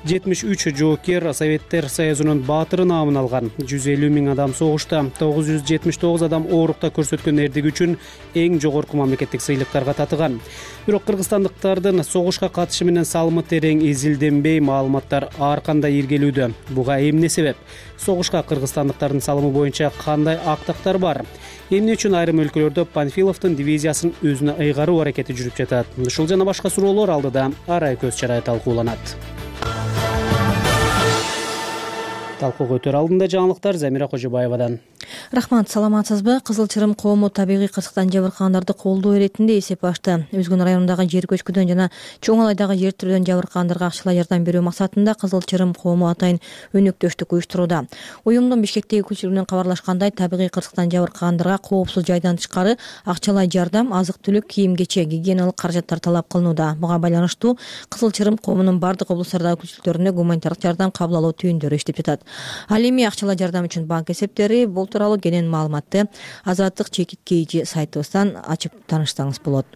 жетимиш үч жоокер Советтер Союзунун баатыры наамын алган. жүз элүү миң адам согушта, тогуз жүз жетимиш тогуз адам оорукта көрсөткөн эрдиги үчүн эң жогорку мамлекеттик сыйлыктарга татыган. Бирок кыргызстандыктардын согушка катышы менен салымы терең изилденбей, маалыматтар ар кандай иргелүүдө. Буга эмне себеп? Согушка кыргызстандыктардын салымы боюнча кандай актактар бар? Эмне үчүн айрым өлкөлөрдө Панфиловдун дивизиясын өзүнө ыйгаруу аракети жүрүп жатат? Ушул жана башка суроолор алдыда арай көз чарай талкууланат. Талкууга өтөр алдында жаңылыктар Замира Кожобаевадан. Рахмат, саламатсызбы? Кызыл Чырым коому табигый кырсыктан жабыркагандарды колдоо иретинде эсеп ачты. Өзгөн районундагы жер көчкүдөн жана Чоң Алайдагы жер тирөөдөн жабыркагандарга акчалай жардам берүү максатында Кызыл Чырым коому атайын өнөктөштүк уюштурууда. Уюмдун Бишкектеги өкүлчүлүгүнөн кабарлашкандай, табигый кырсыктан жабыркагандарга коопсуз жайдан тышкары акчалай жардам, азык-түлүк, кийим-кече, гигиеналык каражаттар талап кылынууда. Буга байланыштуу Кызыл Чырым коомунун бардык облустардагы өкүлчүлүктөрүнө гуманитардык жардам кабыл алуу түйүндөрү иштеп жатат. Ал эми акчалай жардам үчүн банк эсептери, бул тууралуу кенен маалыматты Азаттык чекит кейжи сайтыбыздан ачып таанышсаңыз болот.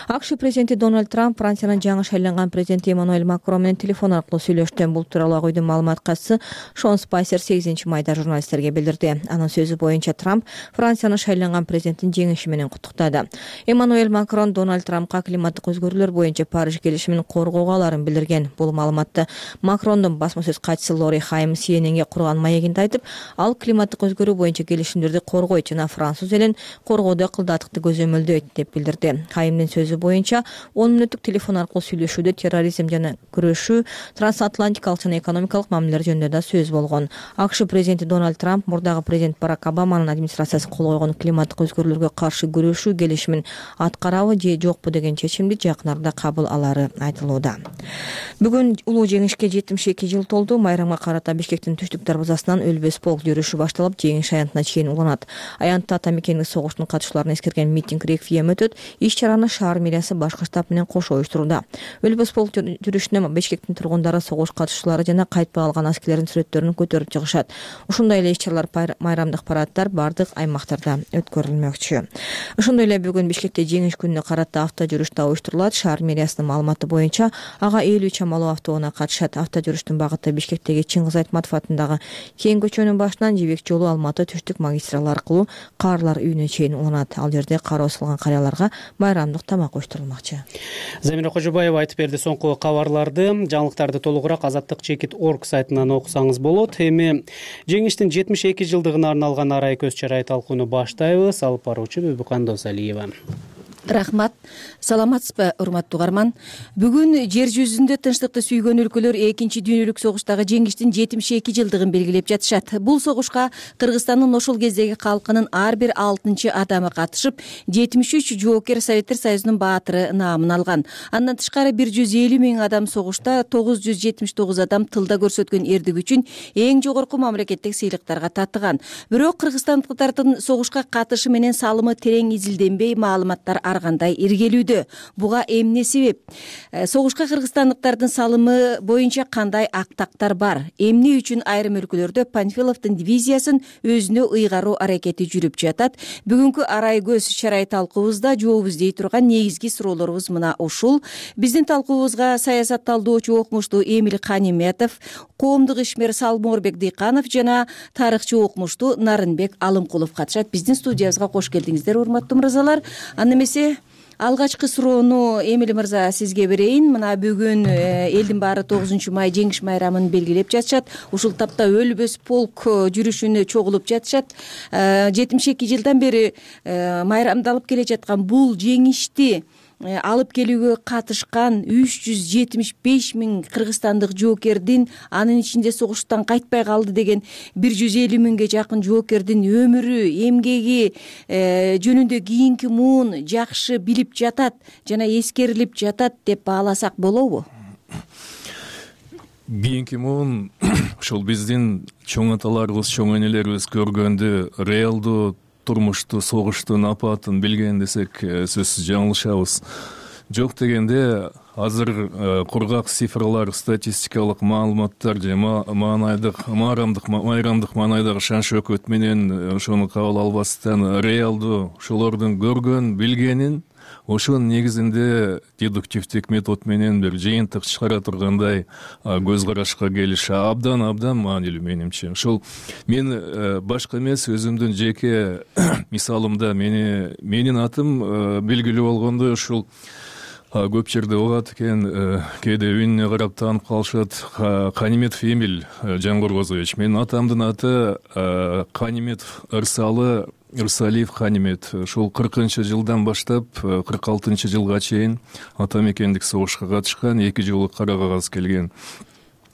АКШ президенти Дональд Трамп Франциянын жаңы шайланган президенти Эммануэль Макрон менен телефон аркылуу сүйлөштү. Бул тууралуу Ак үйдүн маалымат катчысы Шон Спайсер сегизинчи майда журналисттерге билдирди. Анын сөзү боюнча Трамп Франциянын шайланган президентин жеңиши менен куттуктады. Эммануэль Макрон Дональд Трампка климаттык өзгөрүүлөр боюнча Париж келишимин коргоого аларын билдирген. Бул маалыматты Макрондун басма сөз катчысы Лори Хайм Си Эн Энге курган маегинде айтып, ал климаттык өзгөрүү боюнча келишимдерди коргойт жана француз элин коргоодо кылдаатыкты көзөмөлдөйт деп билдирди. Хаймдин сөзү боюнча он мүнөттүк телефон аркылуу сүйлөшүүдө терроризм жана күрөшүү, трансатлантикалык жана экономикалык мамилелер жөнүндө да сөз болгон. АКШ президенти Дональд Трамп мурдагы президент Барак Обаманын администрациясы кол койгон климаттык өзгөрүүлөргө каршы күрөшүү келишимин аткарабы же жокпу деген чечимди жакын арада кабыл алары айтылууда. Бүгүн улуу жеңишке жетимиш эки жыл толду. Майрамга карата Бишкектин түштүк дарбазасынан өлбөс полк жүрүшү башталып, жеңиш аянтына чейин уланат. Аянтта ата мекендик согуштун катышууларын эскерген митинг реквием өтөт. Иш-чараны шаар мэриясы башкы штаб менен кошо уюштурууда. Өлбөс полк жүрүшүнө Бишкектин тургундары, согуш катышуучулары жана кайтпай калган аскерлердин сүрөттөрүн көтөрүп чыгышат. Ушундай эле иш-чаралар, майрамдык параддар бардык аймактарда өткөрүлмөкчү. Ошондой эле бүгүн Бишкекте жеңиш күнүнө карата авто жүрүш да уюштурулат. Шаар мэриясынын маалыматы боюнча ага элүү чамалуу автоунаа катышат. Авто жүрүштүн багыты Бишкектеги Чыңгыз Айтматов атындагы Кең көчөнүн башынан Жибек жолу Алматы түштүк магистралы аркылуу Каарлар үйүнө чейин уланат. Ал жерде кары басылган карыяларга майрамдык тамак уюштурулмакчы. Замира Кожобаева айтып берди соңку кабарларды. Жаңылыктарды толугураак азаттык чекит точка орг сайтынан окусаңыз болот. Эми жеңиштин жетимиш эки жылдыгына арналган арай көз чарай талкууну баштайбыз. Алып баруучу Бүбүкан Досалиева. Рахмат. Саламатсызбы, урматтуу угарман? Бүгүн жер жүзүндө тынчтыкты сүйгөн өлкөлөр экинчи дүйнөлүк согуштагы жеңиштин жетимиш эки жылдыгын белгилеп жатышат. Бул согушка Кыргызстандын ошол кездеги калкынын ар бир алтынчы адамы катышып, жетимиш үч жоокер Советтер Союзунун баатыры наамын алган. Андан тышкары бир жүз элүү миң адам согушта, тогуз жүз жетимиш тогуз адам тылда көрсөткөн эрдиги үчүн эң жогорку мамлекеттик сыйлыктарга татыган. Бирок кыргызстандыктардын согушка катышы менен салымы терең изилденбей, маалыматтар ар кандай иргелүүдө. Буга эмне себеп? Согушка кыргызстандыктардын салымы боюнча кандай актактар бар? Эмне үчүн айрым өлкөлөрдө Панфиловдун дивизиясын өзүнө ыйгаруу аракети жүрүп жатат? Бүгүнкү арай көз чарай талкуубузда жооп издей турган негизги суроолорубуз мына ушул. Биздин талкуубузга саясат талдоочу окумуштуу Эмил Каниметов, коомдук ишмер Салморбек Дыйканов жана тарыхчы окумуштуу Нарынбек Алымкулов катышат. Биздин студиябызга кош келдиңиздер, урматтуу мырзалар. Аны эмесе алгачкы суроону Эмиль мырза сизге берейин. Мына бүгүн элдин баары тогузунчу май жеңиш майрамын белгилеп жатышат. Ушул тапта өлбөс полк жүрүшүнө чогулуп жатышат. жетимиш эки жылдан бери майрамдалып келе жаткан бул жеңишти алып келүүгө катышкан үч жүз жетимиш беш миң кыргызстандык жоокердин, анын ичинде согуштан кайтпай калды деген бир жүз элүү миңге жакын жоокердин өмүрү, эмгеги жөнүндө кийинки муун жакшы билип жатат жана эскерилип жатат деп бааласак болобу? Кийинки муун ушул биздин чоң аталарыбыз, чоң энелерибиз көргөндү, реалдуу турмушту, согуштун апатын билген десек сөзсүз жаңылышабыз. Жок дегенде азыр кургак цифрлар, статистикалык маалыматтар же маанайдык, маарамдык, майрамдык маанайдагы шан шөкөт менен ошону кабыл албастан реалдуу ошолордун көргөн, билгенин ошонун негизинде дедуктивдик метод менен бир жыйынтык чыгара тургандай көз карашка келиш абдан абдан маанилүү менимче. Ошол мен башка эмес, өзүмдүн жеке мисалымда мени менин атым белгилүү болгондой ушул көп жерде угат экен, кээде үнүнө карап таанып калышат. Каниметов Эмиль Жангоргозович. Менин атамдын аты Каниметов Ырсалы Ырсалиев Канимет. Ушул кыркынчы жылдан баштап кырк алтынчы жылга чейин ата мекендик согушка катышкан, эки жолу кара кагаз келген.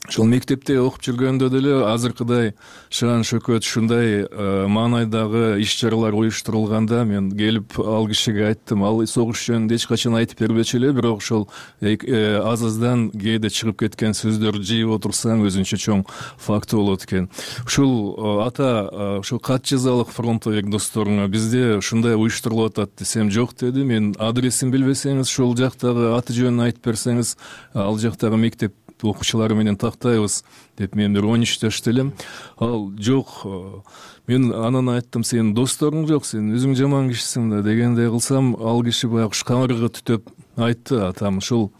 Ошол мектепте окуп жүргөндө деле азыркыдай шан шөкөт ушундай маанайдагы иш чаралар уюштурулганда мен келип ал кишиге айттым. Ал согуш жөнүндө эч качан айтып бербечү эле, бирок ошол аз аздан кээде чыгып кеткен сөздөрдү жыйып отурсаң өзүнчө чоң факты болот экен. Ушул ата ушул кат жазалык фронтовик досторуңа бизде ушундай уюштурулуп атат десем, жок деди. Мен адресин билбесеңиз, ошол жактагы аты жөнүн айтып берсеңиз, ал жактагы мектеп окуучулары менен тактайбыз деп мен бир он үч жашта элем. Ал жок, мен анан айттым, сенин досторуң жок, сен өзүң жаман кишисиң да дегендей кылсам, ал киши баягы камырга түтөп айтты. Атам ушул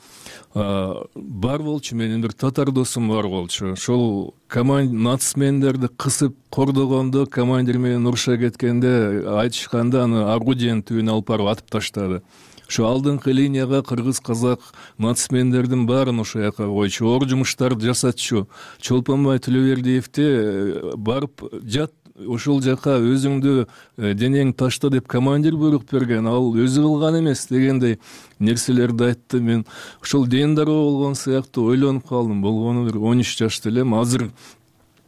бар болчу, менин бир татар досум бар болчу. Ошол команд нацмендерди кысып кордогондо, командир менен уруша кеткенде айтышканда аны орудиянын түбүнө алып барып атып таштады. Ошо алдыңкы линияга кыргыз, казак нацмендердин баарын ошол жака койчу, оор жумуштарды жасатчу. Чолпонбай Төлөбердиевди барып жат ошол жака, өзүңдү денең ташта деп командир буйрук берген, ал өзү кылган эмес дегендей нерселерди айтты. Мен ошол ден дароо болгон сыяктуу ойлонуп калдым. Болгону бир он үч жашта элем. Азыр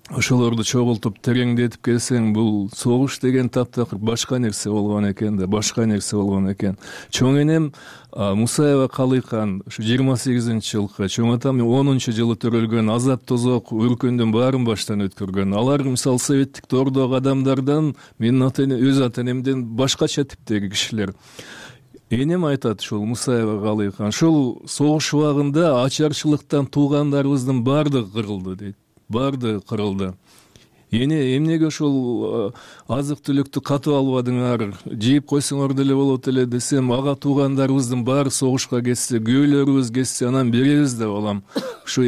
ошолорду чогултуп тереңдетип келсең, бул согуш деген таптакыр башка нерсе болгон экен да, башка нерсе болгон экен. Чоң энем Мусаева Калыйкан ушу жыйырма сегизинчи жылкы, чоң атам онунчу жылы төрөлгөн, азап тозок өркөндүн баарын баштан өткөргөн. Алар мисалы советтик доордогу адамдардан, менин ата эне өз ата энемден башкача типтеги кишилер. Энем айтат, ушул Мусаева Калыйкан, ушул согуш убагында ачарчылыктан туугандарыбыздын баардыгы кырылды дейт. Барды кырылды. Эне эмнеге ошол азык түлүктү катып албадыңар, жейип койсоңор деле болот эле десем, ага туугандарыбыздын баары согушка кетсе, күйөөлөрүбүз кетсе, анан беребиз деп алам. Ушу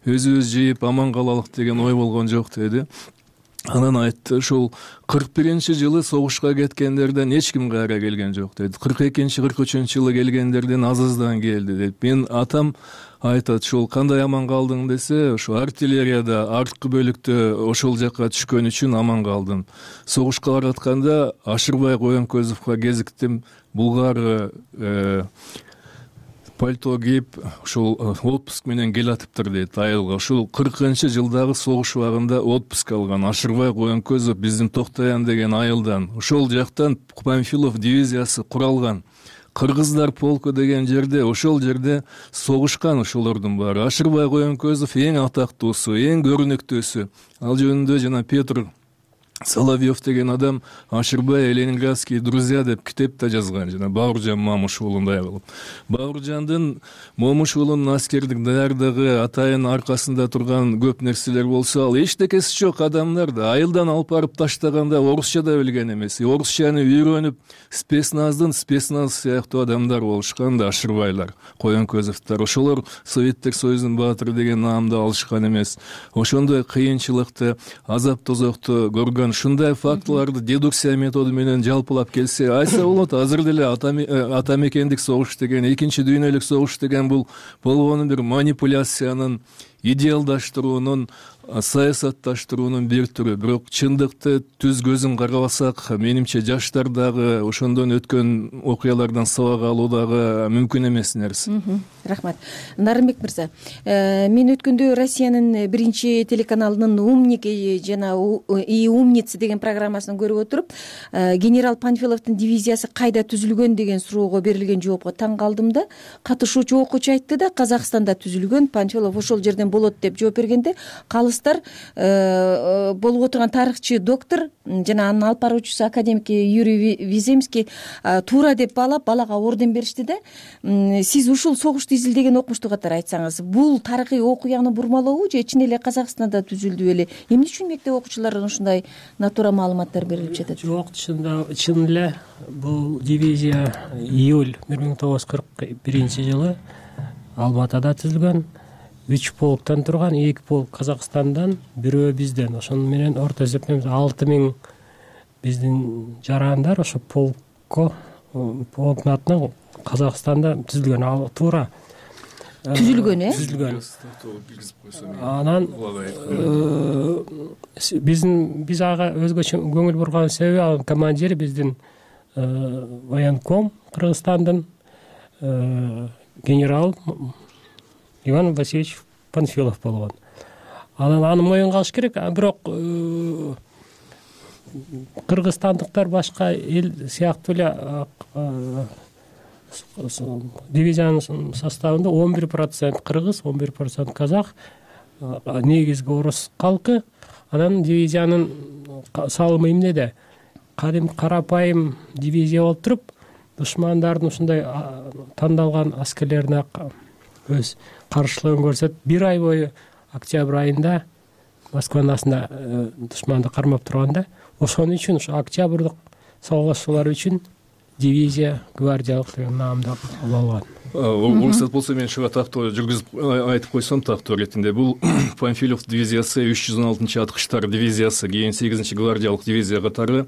өзүбүз жейип аман калалык деген ой болгон жок деди. Анан айтты, ушул кырк биринчи жылы согушка кеткендерден эч ким кайра келген жок деди. кырк экинчи кырк үчүнчү жылы келгендерден аз аздан келди деп. Мен атам айтат, ушул кандай аман калдың десе, ошо артиллерияда арткы бөлүктө ошол жака түшкөн үчүн аман калдым. Согушка баратканда Ашырбай Коенкөзовго кезиктим. Булгар пальто кийип ушул отпуск менен келатыптыр дейт айылга. Ушул кыркынчы жылдагы согуш убагында отпуск алган Ашырбай Коенкөзов биздин Токтоян деген айылдан. Ошол жактан Памфилов дивизиясы куралган. Кыргыздар полку деген жерде, ошол жерде согушкан ошолордун баары. Ашырбай Коенкөзов эң атактуусу, эң көрүнүктүүсү. Ал жөнүндө жана Петр Соловьев деген адам Ашырбай ленинградские друзья деп китеп да жазган, жана Бауыржан Момушуулундай кылып. Бауыржандын Момушуулунун аскердик даярдыгы, атайын аркасында турган көп нерселер болсо, ал эчтекеси жок адамдар да айылдан алып барып таштаганда орусча да билген эмес. Орусчаны үйрөнүп, спецназдын спецназ сыяктуу адамдар болушкан да Ашырбайлар, Коенкөзовдор. Ошолор Советтик Союздун баатыры деген наамды алышкан эмес. Ошондой кыйынчылыкты, азап тозокту көргөн анан ушундай фактыларды дедукция методу менен жалпылап келсе айтса болот. Азыр деле ата мекендик согуш деген, экинчи дүйнөлүк согуш деген бул болгону бир манипуляциянын, идеалдаштыруунун, саясатташтыруунун бир түрү. Бирок чындыкты түз көзүн карабасак, менимче жаштар дагы ошондон өткөн окуялардан сабак алуу дагы мүмкүн эмес нерсе. Рахмат. Нарымбек мырза, мен өткөндө Россиянын биринчи телеканалынын «Умник» жана «И умницы» деген программасын көрүп отуруп, генерал Панфиловдун дивизиясы кайда түзүлгөн деген суроого берилген жоопко таң калдым да. Катышуучу окуучу айтты да, Казакстанда түзүлгөн, Панфилов ошол жерден болот деп жооп бергенде, калыстар болуп отурган тарыхчы доктор жана анын алып баруучусу академик Юрий Виземский туура деп баалап, балага орден беришти да. Сиз ушул согушту изилдеген окумуштуу катары айтсаңыз, бул тарыхый окуяны бурмалообу же чын эле Казакстанда түзүлдү беле? Эмне үчүн мектеп окуучуларына ушундай натура маалыматтар берилип жатат? Жок, чын эле бул дивизия июль бир миң тогуз жүз кырк биринчи жылы Алматада түзүлгөн. Үч полктан турган, эки полк Казакстандан, бирөө бизден. Ошону менен орто эсептен алты миң биздин жарандар ошо полкко, полктун атынан Казакстанда түзүлгөн. Ал туура түзүлгөн, э? Түзүлгөн. Анан биздин биз ага өзгөчө көңүл бурган себеби, ал командири биздин военком Кыргызстандын генерал Иван Васильевич Панфилов болгон. Анан аны моюнга алыш керек, бирок кыргызстандыктар башка эл сыяктуу эле дивизиянын составында он бир процент кыргыз, он бир процент казак, негизги орус калкы. Анан дивизиянын салымы эмнеде? Кадим карапайым дивизия болуп туруп, душмандардын ушундай тандалган аскерлерине өз каршылыгын көрсөтүп, бир ай бою октябрь айында Москванын астында душманды кармап турганда, ошон үчүн ушу октябрдык согушуулар үчүн дивизия гвардиялык деген наамды алган. Уруксат болсо мен ушуга тактоо жүргүзүп айтып койсом тактоо иретинде, бул Панфилов дивизиясы үч жүз он алтынчы аткычтар дивизиясы, кийин сегизинчи гвардиялык дивизия катары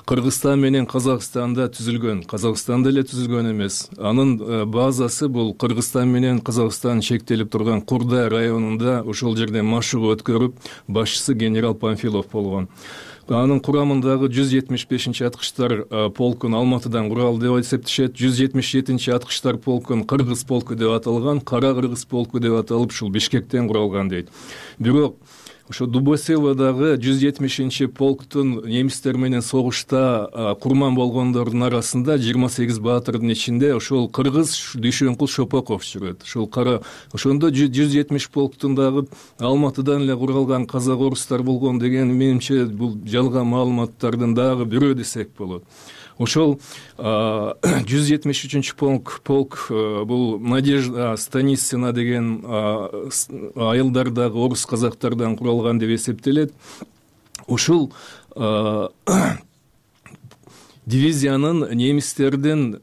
Кыргызстан менен Казакстанда түзүлгөн. Казакстанда эле түзүлгөн эмес. Анын базасы бул Кыргызстан менен Казакстан чектелип турган Курдай районунда, ошол жерден машыгуу өткөрүп, башчысы генерал Панфилов болгон. Анын курамындагы жүз жетимиш бешинчи аткычтар полкун Алматыдан курал деп эсептешет. жүз жетимиш жетинчи аткычтар полкун Кыргыз полку деп аталган, Кара Кыргыз полку деп аталып, ушул Бишкектен куралган дейт. Бирок ошо Дубоселодагы жүз жетимишинчи полктун немистер менен согушта курман болгондордун арасында жыйырма сегиз баатырдын ичинде ошол кыргыз Дүйшөнкул Шопоков жүрөт. Ошол кара ошондо жүз жетимиш полктун дагы Алматыдан эле куралган казак орустар болгон деген менимче бул жалган маалыматтардын дагы бирөө десек болот. Ошол жүз жетимиш үчүнчү полк полк бул Надежда Станицина деген айылдардагы орус казактардан куралган деп эсептелет. Ушул дивизиянын немистердин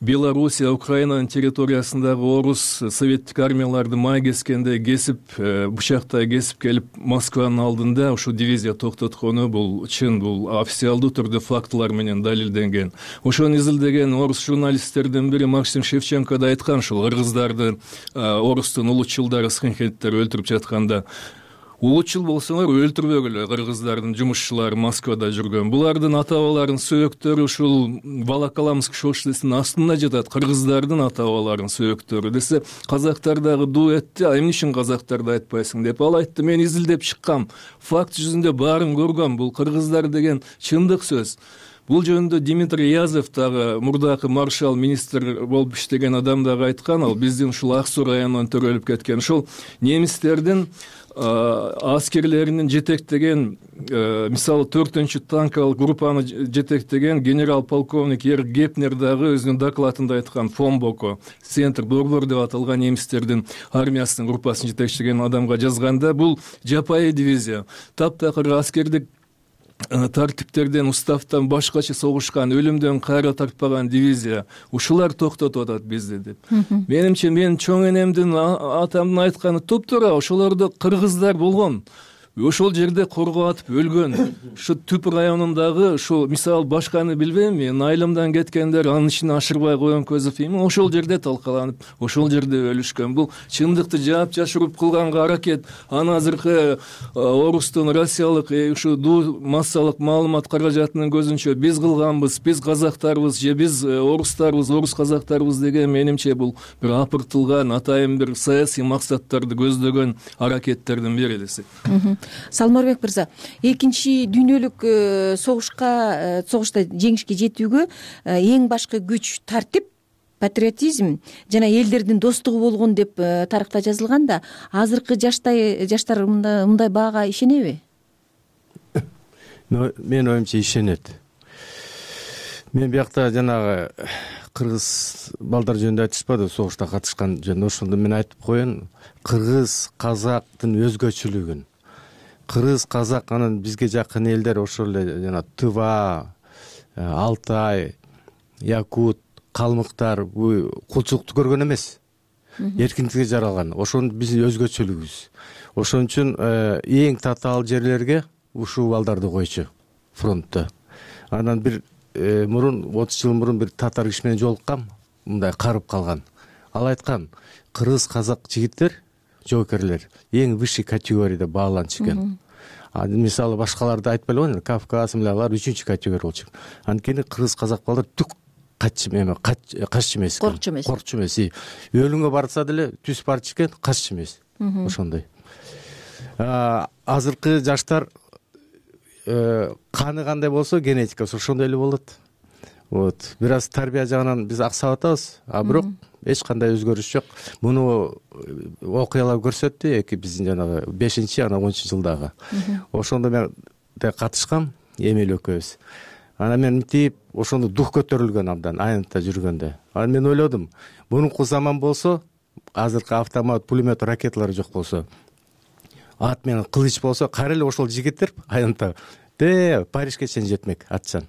Белоруссия, Украинанын территориясындагы орус советтик армияларды май кескенде кесип, бычактай кесип келип Москванын алдында ушул дивизия токтоткону бул чын, бул официалдуу түрдө фактылар менен далилденген. Ошону изилдеген орус журналисттердин бири Максим Шевченко да айткан, ушул кыргыздарды орустун улутчулдары, скинхедтер өлтүрүп жатканда, улутчул болсоңор өлтүрбөгүлө, кыргыздардын жумушчулары Москвада жүргөн. Булардын ата-бабаларынын сөөктөрү ушул Волоколамск шоссесинин астында жатат, кыргыздардын ата-бабаларынын сөөктөрү десе, казактар дагы дуу этти, а эмне үчүн казактарды айтпайсың деп. Ал айтты, мен изилдеп чыккам, факт жүзүндө баарын көргөм, бул кыргыздар деген чындык сөз. Бул жөнүндө Дмитрий Язев дагы мурдакы маршал министр болуп иштеген адам дагы айткан, ал биздин ушул Ак Суу районунан төрөлүп кеткен. Ушул немистердин аскерлеринин жетектеген, мисалы төртүнчү танкалык группаны жетектеген генерал полковник Ерик Гепнер дагы өзүнүн докладында айткан, Фомбоко, центр Борбор деп аталган немистердин армиясынын группасын жетектеген адамга жазганда, бул жапайы дивизия, таптакыр аскердик тартиптерден, уставтан башкача согушкан, өлүмдөн кайра тартпаган дивизия, ушулар токтотуп атат бизди деп. Менимче, мен чоң энемдин, атамдын айтканы туптуура, ошолордо кыргыздар болгон. ошол жерде корго атып өлгөн. Ушу Түп районундагы ушул мисалы башканы билбейм, мен айылымдан кеткендер анын ичине ашырбай коем көзөп дейм, ошол жерде талкаланып, ошол жерде өлүшкөн. Бул чындыкты жаап жашыруп кылганга аракет. Аны азыркы орустун россиялык ушу дуу массалык маалымат каражатынын көзүнчө биз кылганбыз, биз казактарбыз же биз орустарбыз, орус казактарбыз деген менимче бул бир апыртылган атайын бир саясий максаттарды көздөгөн аракеттердин бири десек. Салмарбек мырза, экинчи дүйнөлүк согушка согушта жеңишке жетүүгө эң башкы күч тартип, патриотизм жана элдердин достугу болгон деп тарыхта жазылган да, азыркы жаштай жаштар мындай баага ишенеби? Мен оюмча ишенет. Мен биякта жанагы кыргыз балдар жөнүндө айтышпады, согушта катышкан жөнүндө. Ошондо мен айтып коеюн, кыргыз казактын өзгөчөлүгүн. Кыргыз казак анан бизге жакын элдер ошол эле жана Тыва, Алтай, Якут, калмыктар бул кулчулукту көргөн эмес. Эркиндикке жаралган. Ошонун биздин өзгөчөлүгүбүз. Ошон үчүн эң татаал жерлерге ушул балдарды койчу фронтто. Анан бир мурун отуз жыл мурун бир татар киши менен жолуккам, мындай карып калган. Ал айткан, кыргыз казак жигиттер, жоокерлер эң высший категорияда бааланчу экен. Мисалы башкаларды айтпай эле, Кавказ мындай үчүнчү категория болчу. Анткени кыргыз казак балдар түк каччы эме, каччы эмес. Коркчу эмес. Коркчу эмес. Өлүмгө барса деле түз барчу экен, каччы эмес. Ошондой. Азыркы жаштар каны кандай болсо генетикасы ошондой эле болот. Вот, бир аз тарбия жагынан биз аксап атабыз, а бирок эч кандай өзгөрүш жок. Муну окуялар көрсөттү, эки биздин жанагы бешинчи, анан онунчу жылдагы. Ошондо мен да катышкам, Эмил экөөбүз. Анан мен мынтип ошондо дух көтөрүлгөн абдан айнытта жүргөндө. Анан мен ойлодум, мурунку заман болсо, азыркы автомат, пулемет, ракеталар жок болсо, ат менен кылыч болсо, кайра эле ошол жигиттер айнытта де Парижге чейин жетмек атчан.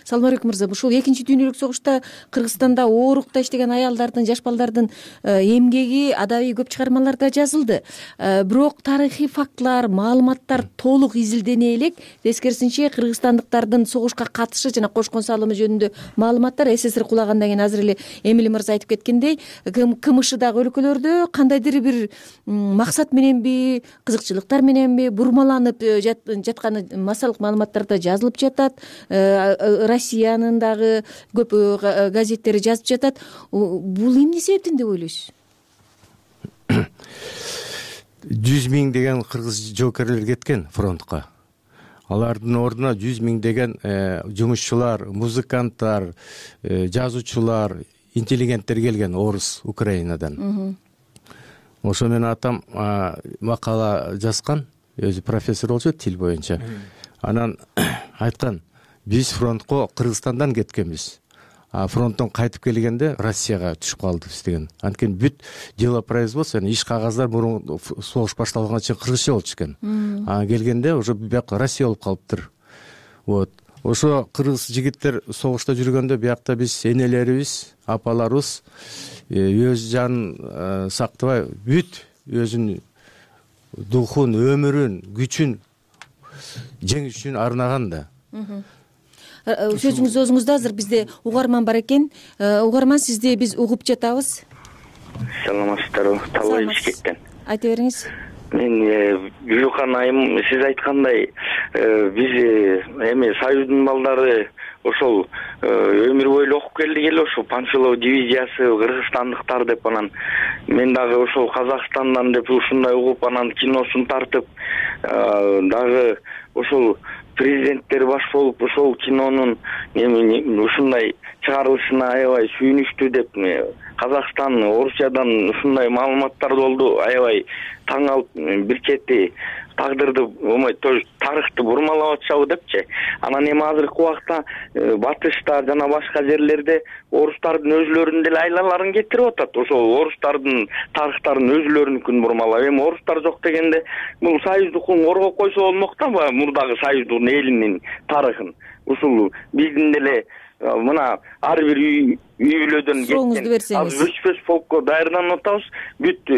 Салмарбек мырза, ушул экинчи дүйнөлүк согушта Кыргызстанда оорукта иштеген аялдардын, жаш балдардын эмгеги адабий көп чыгармаларда жазылды. Бирок тарыхый фактылар, маалыматтар толук изилдене элек. Тескерисинче кыргызстандыктардын согушка катышы жана кошкон салымы жөнүндө маалыматтар СССР кулагандан кийин азыр эле Эмиль мырза айтып кеткендей, КМШдагы өлкөлөрдө кандайдыр бир максат мененби, кызыкчылыктар мененби бурмаланып жатканы массалык маалыматтарда жазылып жатат. Россиянын дагы көп газеттери жазып жатат. Бул эмне себептен деп ойлойсуз? жүз миң деген кыргыз жоокерлер кеткен фронтко. Алардын ордуна жүз миң деген жумушчулар, музыканттар, жазуучулар, интеллигенттер келген орус, Украинадан. Ошо менен атам макала жазган, өзү профессор болчу тил боюнча. Анан айткан, биз фронтко Кыргызстандан кеткенбиз. А фронттон кайтып келгенде Россияга түшүп калдыбыз деген. Анткени бүт дело производства, иш кагаздар мурун согуш башталганга чейин кыргызча болчу экен. А келгенде уже биякта Россия болуп калыптыр. Вот. Ошо кыргыз жигиттер согушта жүргөндө биякта биз энелерибиз, апаларыбыз өз жанын сактабай, бүт өзүнүн духун, өмүрүн, күчүн жеңиш үчүн арнаган да. Сөзүңүз өзүңүздө, азыр бизде угарман бар экен. Угарман, сизди биз угуп жатабыз. Саламатсыздарбы? Талай Бишкектен. Айта бериңиз. Мен Гүлкан айым, сиз айткандай, биз эми Союздун балдары ошол өмүр бою окуп келдик эле, ошол Панфилов дивизиясы, кыргызстандыктар деп, анан мен дагы ошол Казакстандан деп ушундай угуп, анан киносун тартып, дагы ошол президенттер баш болуп ошол кинонун ушундай чыгарылышына аябай сүйүнүштү деп, Казакстан, Орусиядан ушундай маалыматтар болду, аябай таң калып, бир чети тагдырды, тарыхты бурмалап атышабы депчи. Анан эми азыркы убакта батышта жана башка жерлерде орустардын өзүлөрүнүн деле айлаларын кетирип атат. Ошол орустардын тарыхтарын өзүлөрүнүкүн бурмалап, эми орустар жок дегенде бул союздукун коргоп койсо болмок да, мурдагы союздун элинин тарыхын. Ушул биздин деле мына ар бир үй бүлөдөн кеткен өчпөс полкко даярданып атабыз. Бүт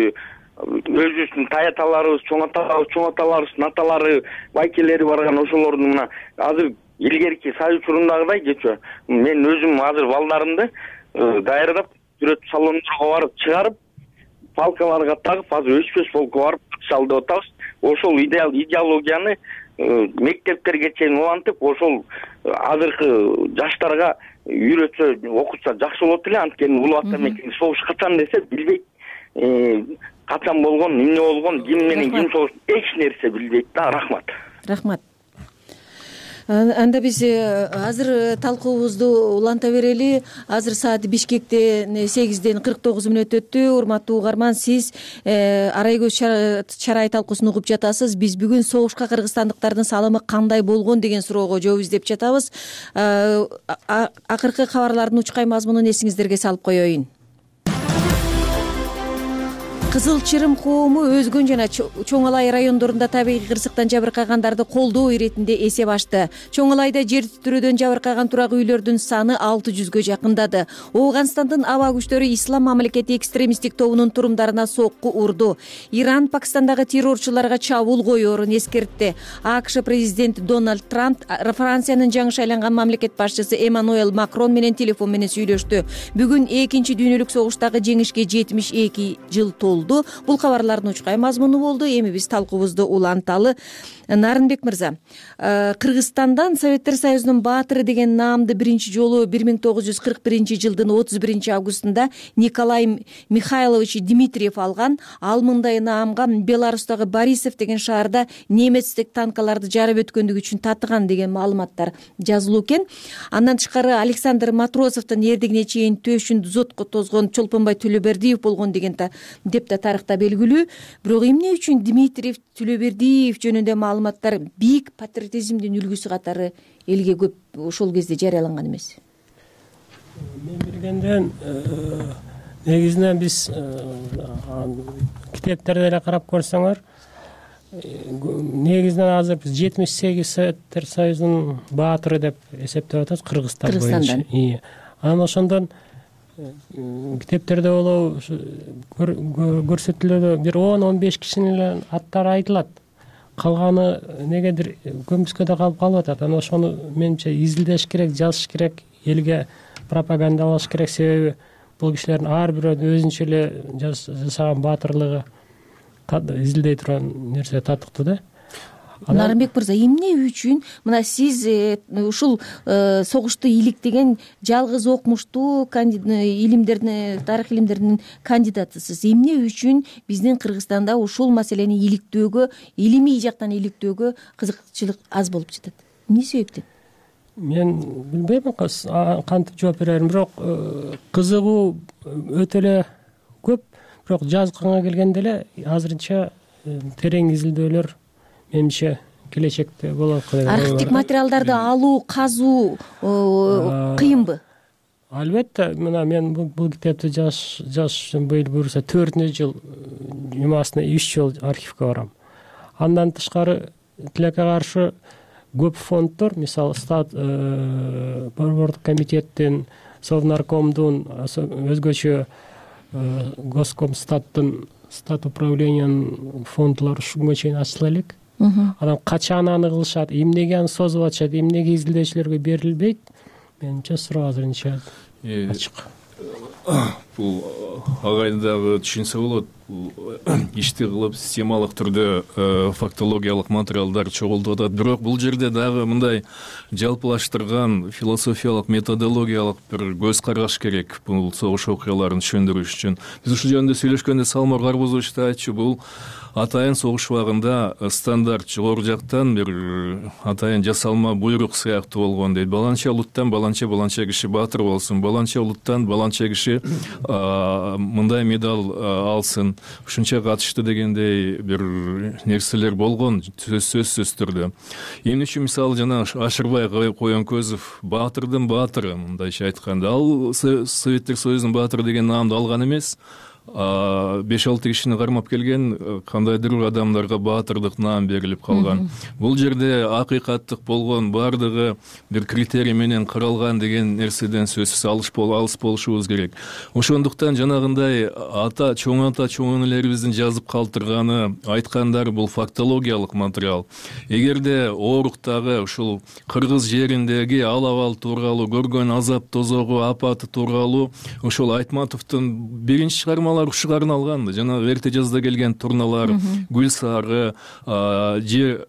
өзүбүздүн таяталарыбыз, чоң аталарыбыз, чоң аталарыбыздын аталары, байкелери барган ошолордун мына азыр илгерки Союз учурундагыдай кечээ мен өзүм азыр балдарымды даярдап сүрөт салондорго барып чыгарып, палкаларга тагып, азыр өспөс полкко барып катышалы деп атабыз. Ошол идеал идеологияны мектептерге чейин улантып, ошол азыркы жаштарга үйрөтсө, окутса жакшы болот эле. Анткени улуу ата мекени согуш качан десе билбейт. Качан болгон, эмне болгон, ким менен ким согуш, эч нерсе билбейт да. Рахмат. Рахмат. Анда биз азыр талкуубузду уланта берели. Азыр саат Бишкекте сегизден кырк тогуз мүнөт өттү. Урматтуу угарман, сиз арай көз чарай талкуусун угуп жатасыз. Биз бүгүн согушка кыргызстандыктардын салымы кандай болгон деген суроого жооп издеп жатабыз. Акыркы кабарлардын учкай мазмунун эсиңиздерге салып коеюн. Кызыл Чырым коому Өзгөн жана Чоң Алай райондорунда табигый кырсыктан жабыркагандарды колдоо иретинде эсеп ачты. Чоң Алайда жер титирөөдөн жабыркаган турак үйлөрдүн саны алты жүзгө жакындады. Ооганстандын аба күчтөрү Ислам мамлекети экстремисттик тобунун турумдарына сокку урду. Иран Пакистандагы террорчуларга чабуул коёрун эскертти. АКШ президенти Дональд Трамп Франциянын жаңы шайланган мамлекет башчысы Эммануэль Макрон менен телефон менен сүйлөштү. Бүгүн экинчи дүйнөлүк согуштагы жеңишке жетимиш эки жыл толду. Бул кабарлардын учкай мазмуну болду. Эми биз талкуубузду уланталы. Нарынбек мырза, Кыргызстандан Советтер Союзунун баатыры деген наамды биринчи жолу бир миң тогуз жүз кырк биринчи жылдын отуз биринчи августунда Николай Михайлович Дмитриев алган. Ал мындай наамга Беларустагы Борисов деген шаарда немецтик танкаларды жарып өткөндүгү үчүн татыган деген маалыматтар жазылуу экен. Андан тышкары Александр Матросовдун эрдигине чейин төшүн зотко тозгон Чолпонбай Төлөбердиев болгон деген деп да тарыхта белгилүү. Бирок эмне үчүн Дмитриев Төлөбердиев жөнүндө маалыматтар бийик патриотизмдин үлгүсү катары элге көп ошол кезде жарыяланган эмес? Мен билгенден негизинен биз китептерди эле карап көрсөңөр, негизинен азыр биз жетимиш сегиз Советтер Союзунун баатыры деп эсептеп атабыз Кыргызстан боюнча. Анан ошондон китептерде болобу көрсөтүлүүдө бир он он беш кишинин эле аттары айтылат. Калганы негедир көмүскөдө калып калып атат. Анан ошону менимче изилдеш керек, жазыш керек, элге пропагандалаш керек. Себеби бул кишилердин ар бирөөнүн өзүнчө эле жасаган баатырлыгы изилдей турган нерсе татыктуу да. Нарынбек мырза, эмне үчүн мына сиз ушул согушту иликтеген жалгыз окумуштуу илимдердин, тарых илимдеринин кандидатысыз. Эмне үчүн биздин Кыргызстанда ушул маселени иликтөөгө, илимий жактан иликтөөгө кызыкчылык аз болуп жатат? Эмне себептен? Мен билбейм кантип жооп берерим, бирок кызыгуу өтө эле көп. Бирок жазганга келгенде эле азырынча терең изилдөөлөр менимче келечекте болот. Архивдик материалдарды алуу, казуу кыйынбы? Албетте, мына мен бул китепти жазыш үчүн быйыл буюрса төртүнчү жыл жумасына үч жол архивге барам. Андан тышкары тилекке каршы көп фонддор, мисалы стат борбордук комитеттин, Совнаркомдун, өзгөчө Госкомстаттын, стат управлениянын фонддору ушунга чейин ачыла элек. Анан качан аны кылышат, эмнеге аны созуп атышат, эмнеге изилдөөчүлөргө берилбейт? Менимче суроо азырынча ачык. Бул агайын дагы түшүнсө болот. Ишти кылып системалык түрдө фактологиялык материалдар чогултуп атат. Бирок бул жерде дагы мындай жалпылаштырган философиялык, методологиялык бир көз караш керек бул согуш окуяларын түшүндүрүш үчүн. Биз ушул жөнүндө сүйлөшкөндө Салмор Карбузович да айтчу, бул атайын согуш убагында стандарт жогору жактан бир атайын жасалма буйрук сыяктуу болгон дейт. Баланча улуттан баланча баланча киши баатыр болсун, баланча улуттан баланча киши мындай медаль алсын, ушунча катышты дегендей бир нерселер болгон сөзсүз түрдө. Эмне үчүн мисалы жана Ашырбай Коенкөзов баатырдын баатыры мындайча айтканда, ал Советтер Союзунун баатыры деген наамды алган эмес. беш алты кишини кармап келген кандайдыр адамдарга баатырдык наам берилип калган. Бул жерде акыйкаттык болгон баардыгы бир критерий менен каралган деген нерседен сөзсүз алыс болушубуз керек. Ошондуктан жанагындай ата чоң ата чоң энелерибиздин жазып калтырганы, айткандары бул фактологиялык материал. Эгерде ооруктагы ушул кыргыз жериндеги ал абал тууралуу көргөн азап тозогу апаты тууралуу ошол Айтматовдун биринчи чыгармалары ушуга арналган. Жанагы эрте жазда келген турналар, Гүл сары, же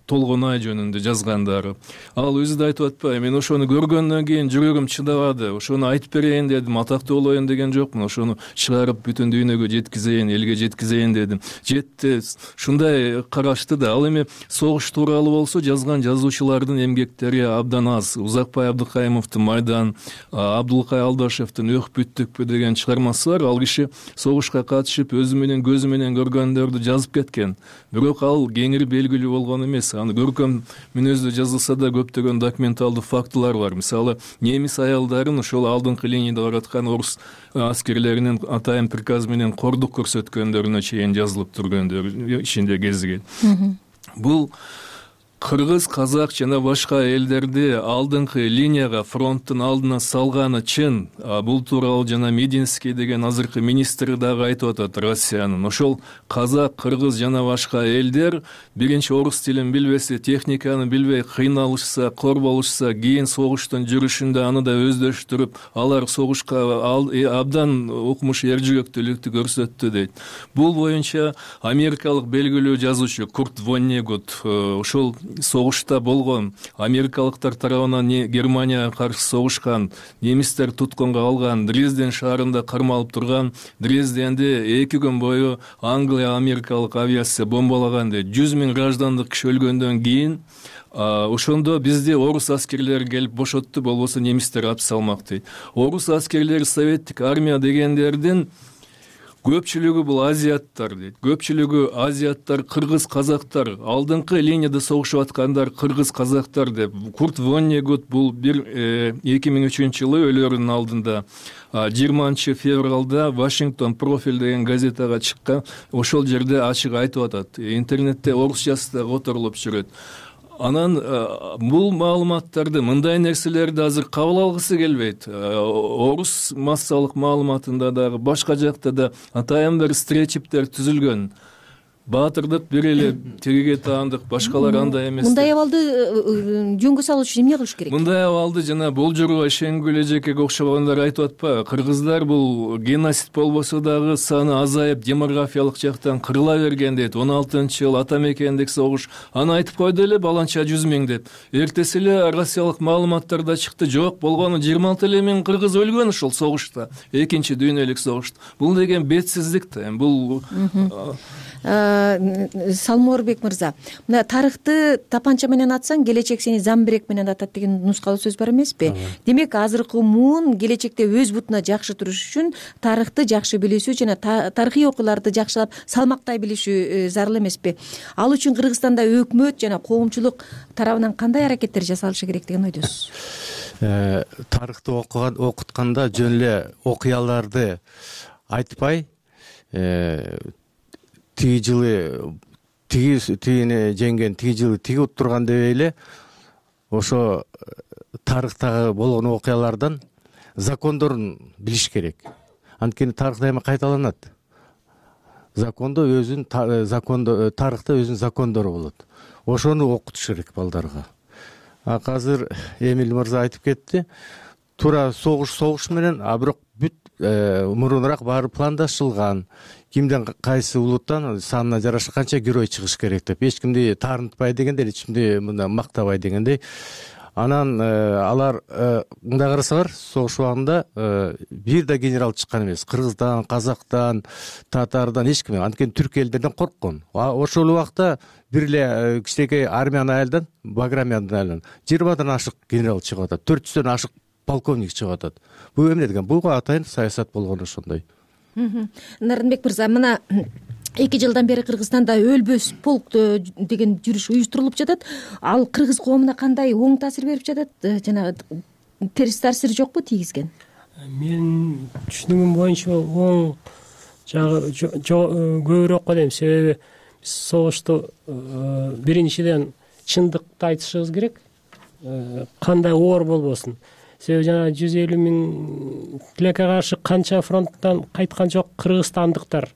Толгонай жөнүндө жазгандары. Ал өзү да айтып атпайбы, мен ошону көргөндөн кийин жүрөгүм чыдабады, ошону айтып берейин дедим, атактуу болоюн деген жокмун, ошону чыгарып бүтүн дүйнөгө жеткизейин, элге жеткизейин дедим. Жетти, ушундай карашты да. Ал эми согуш тууралуу болсо жазган жазуучулардын эмгектери абдан аз. Узакбай Абдыкайымовдун Майдан, Абдулкай Алдашевдин Өх бүттүкпү деген чыгармасы бар. Ал киши согушка катышып өзү менен көзү менен көргөндөрдү жазып кеткен. Бирок ал кеңири белгилүү болгон эмес. Аны көркөм мүнөздө жазылса да көптөгөн документалдуу фактылар бар. Мисалы, немис аялдарын ошол алдыңкы линияда бараткан орус аскерлеринин атайын приказ менен кордук көрсөткөндөрүнө чейин жазылып тургөндөр ичинде кезиген. Бул кыргыз, казак жана башка элдерди алдыңкы линияга, фронттун алдына салганы чын. Бул тууралуу жана Мединский деген азыркы министри дагы айтып атат, Россиянын. Ошол казак, кыргыз жана башка элдер биринчи орус тилин билбесе, техниканы билбей кыйналышса, кор болушса, кийин согуштун жүрүшүндө аны да өздөштүрүп, алар согушка абдан укмуш эржүрөктүүлүктү көрсөттү дейт. Бул боюнча америкалык белгилүү жазуучу Курт Воннегут ошол согушта болгон, америкалыктар тарабынан Германияга каршы согушкан, немистер туткунга алган, Дрезден шаарында кармалып турган, Дрезденди эки күн бою Англия америкалык авиация бомбалаган дейт. жүз миң граждандык киши өлгөндөн кийин ошондо бизде орус аскерлери келип бошотту, болбосо немистер апс алмак дейт. Орус аскерлери, советтик армия дегендердин көпчүлүгү бул азиаттар дейт. Көпчүлүгү азиаттар, кыргыз, казактар, алдыңкы линияда согушуп аткандар кыргыз, казактар деп. Курт Воннегут бул бир эки миң үчүнчү жылы өлөрүнүн алдында жыйырманчы февралда Вашингтон профиль деген газетага чыккан, ошол жерде ачык айтып атат. Интернетте орусчасы да которулуп жүрөт. Анан бул маалыматтарды, мындай нерселерди азыр кабыл алгысы келбейт. Орус массалык маалыматында дагы, башка жакта да атайын бир стереотиптер түзүлгөн. Баатырдык бир эле тегиге таандык, башкалар андай эмес. Мындай абалды жөнгө салуу үчүн эмне кылыш керек? Мындай абалды жана болжорго ишенгүл эжекеге окшогондор айтып атпайбы? Кыргыздар бул геноцид болбосо дагы саны азайып, демографиялык жактан кырыла берген дейт. он алтынчы жыл ата мекендик согуш. Аны айтып койду эле баланча жүз миң деп. Эртеси эле россиялык маалыматтарда чыкты, жок, болгону жыйырма алты эле миң кыргыз өлгөн ушул согушта, экинчи дүйнөлүк согушта. Бул деген бетсиздик да. Бул Салморбек мырза, мына тарыхты тапанча менен атсаң, келечек сени замбирек менен атат деген нускалуу сөз бар эмеспи? Демек, азыркы муун келечекте өз бутуна жакшы туруш үчүн тарыхты жакшы билишүү жана тарыхый окуяларды жакшылап салмактай билишүү зарыл эмеспи? Ал үчүн Кыргызстанда өкмөт жана коомчулук тарабынан кандай аракеттер жасалышы керек деген ойдосуз? Тарыхты окутканда жөн эле окуяларды айтпай, тиги жылы тиги тигини жеңген, тиги жылы тиги уттурган дебей эле ошо тарыхтагы болгон окуялардан закондорун билиш керек. Анткени тарых дайыма кайталанат. Закондо өзүнүн закондо тарыхта өзүнүн закондору болот. Ошону окутуш керек балдарга. А азыр Эмиль мырза айтып кетти. Туура согуш согуш менен, а бирок бүт мурунураак баары пландашылган. Кимден кайсы улуттан санына жараша канча герой чыгыш керек деп, эч кимди таарынтпай дегендей, эч кимди мындай мактабай дегендей. Анан алар мындай карасалар, согуш убагында бир да генерал чыккан эмес. Кыргыздан, казактан, татардан эч ким, анткени түрк элдерден корккон. Ошол убакта бир эле кичинекей армиянын айылдан, Баграмянын айылынан жыйырмадан ашык генерал чыгып атат, төрт жүздөн ашык полковник чыгып атат. Бул эмне деген? Бул атайын саясат болгон ошондой. Нарынбек мырза, мына эки жылдан бери Кыргызстанда өлбөс полк деген жүрүш уюштурулуп жатат. Ал кыргыз коомуна кандай оң таасир берип жатат? Жана терс таасир жокпу тийгизген? Менин түшүнүгүм боюнча оң жагы көбүрөөк го дейм. Себеби биз согушту биринчиден чындыкты айтышыбыз керек, кандай оор болбосун. Себеби жана жүз элүү миң тилекке каршы канча фронттан кайткан жок кыргызстандыктар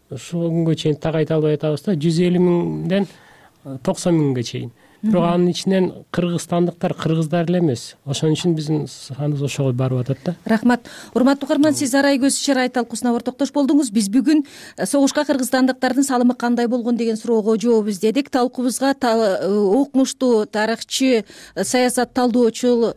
ушул күнгө чейин так айта албай атабыз да. жүз элүү миңден токсон миңге чейин. Бирок анын ичинен кыргызстандыктар кыргыздар эле эмес. Ошон үчүн биздин саныбыз ошого барып атат да. Рахмат. Урматтуу угарман, сиз Арай көз чарай талкуусуна ортоктош болдуңуз. Биз бүгүн согушка кыргызстандыктардын салымы кандай болгон деген суроого жооп издедик. Талкуубузга окумуштуу тарыхчы, саясат талдоочу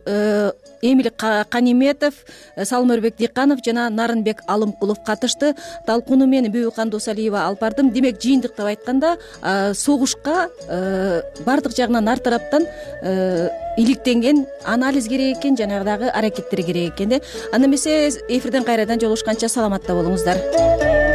Эмиль Каниметов, Салмырбек Дыйканов жана Нарынбек Алымкулов катышты. Талкууну мен Бүбүкан Досалиева алып бардым. Демек, жыйынтыктап айтканда, согушка бардык жагынан ар тараптан иликтенген анализ керек экен, жанагыдагы аракеттер керек экен да. Анда эмесе эфирден кайрадан жолугушканча саламатта болуңуздар.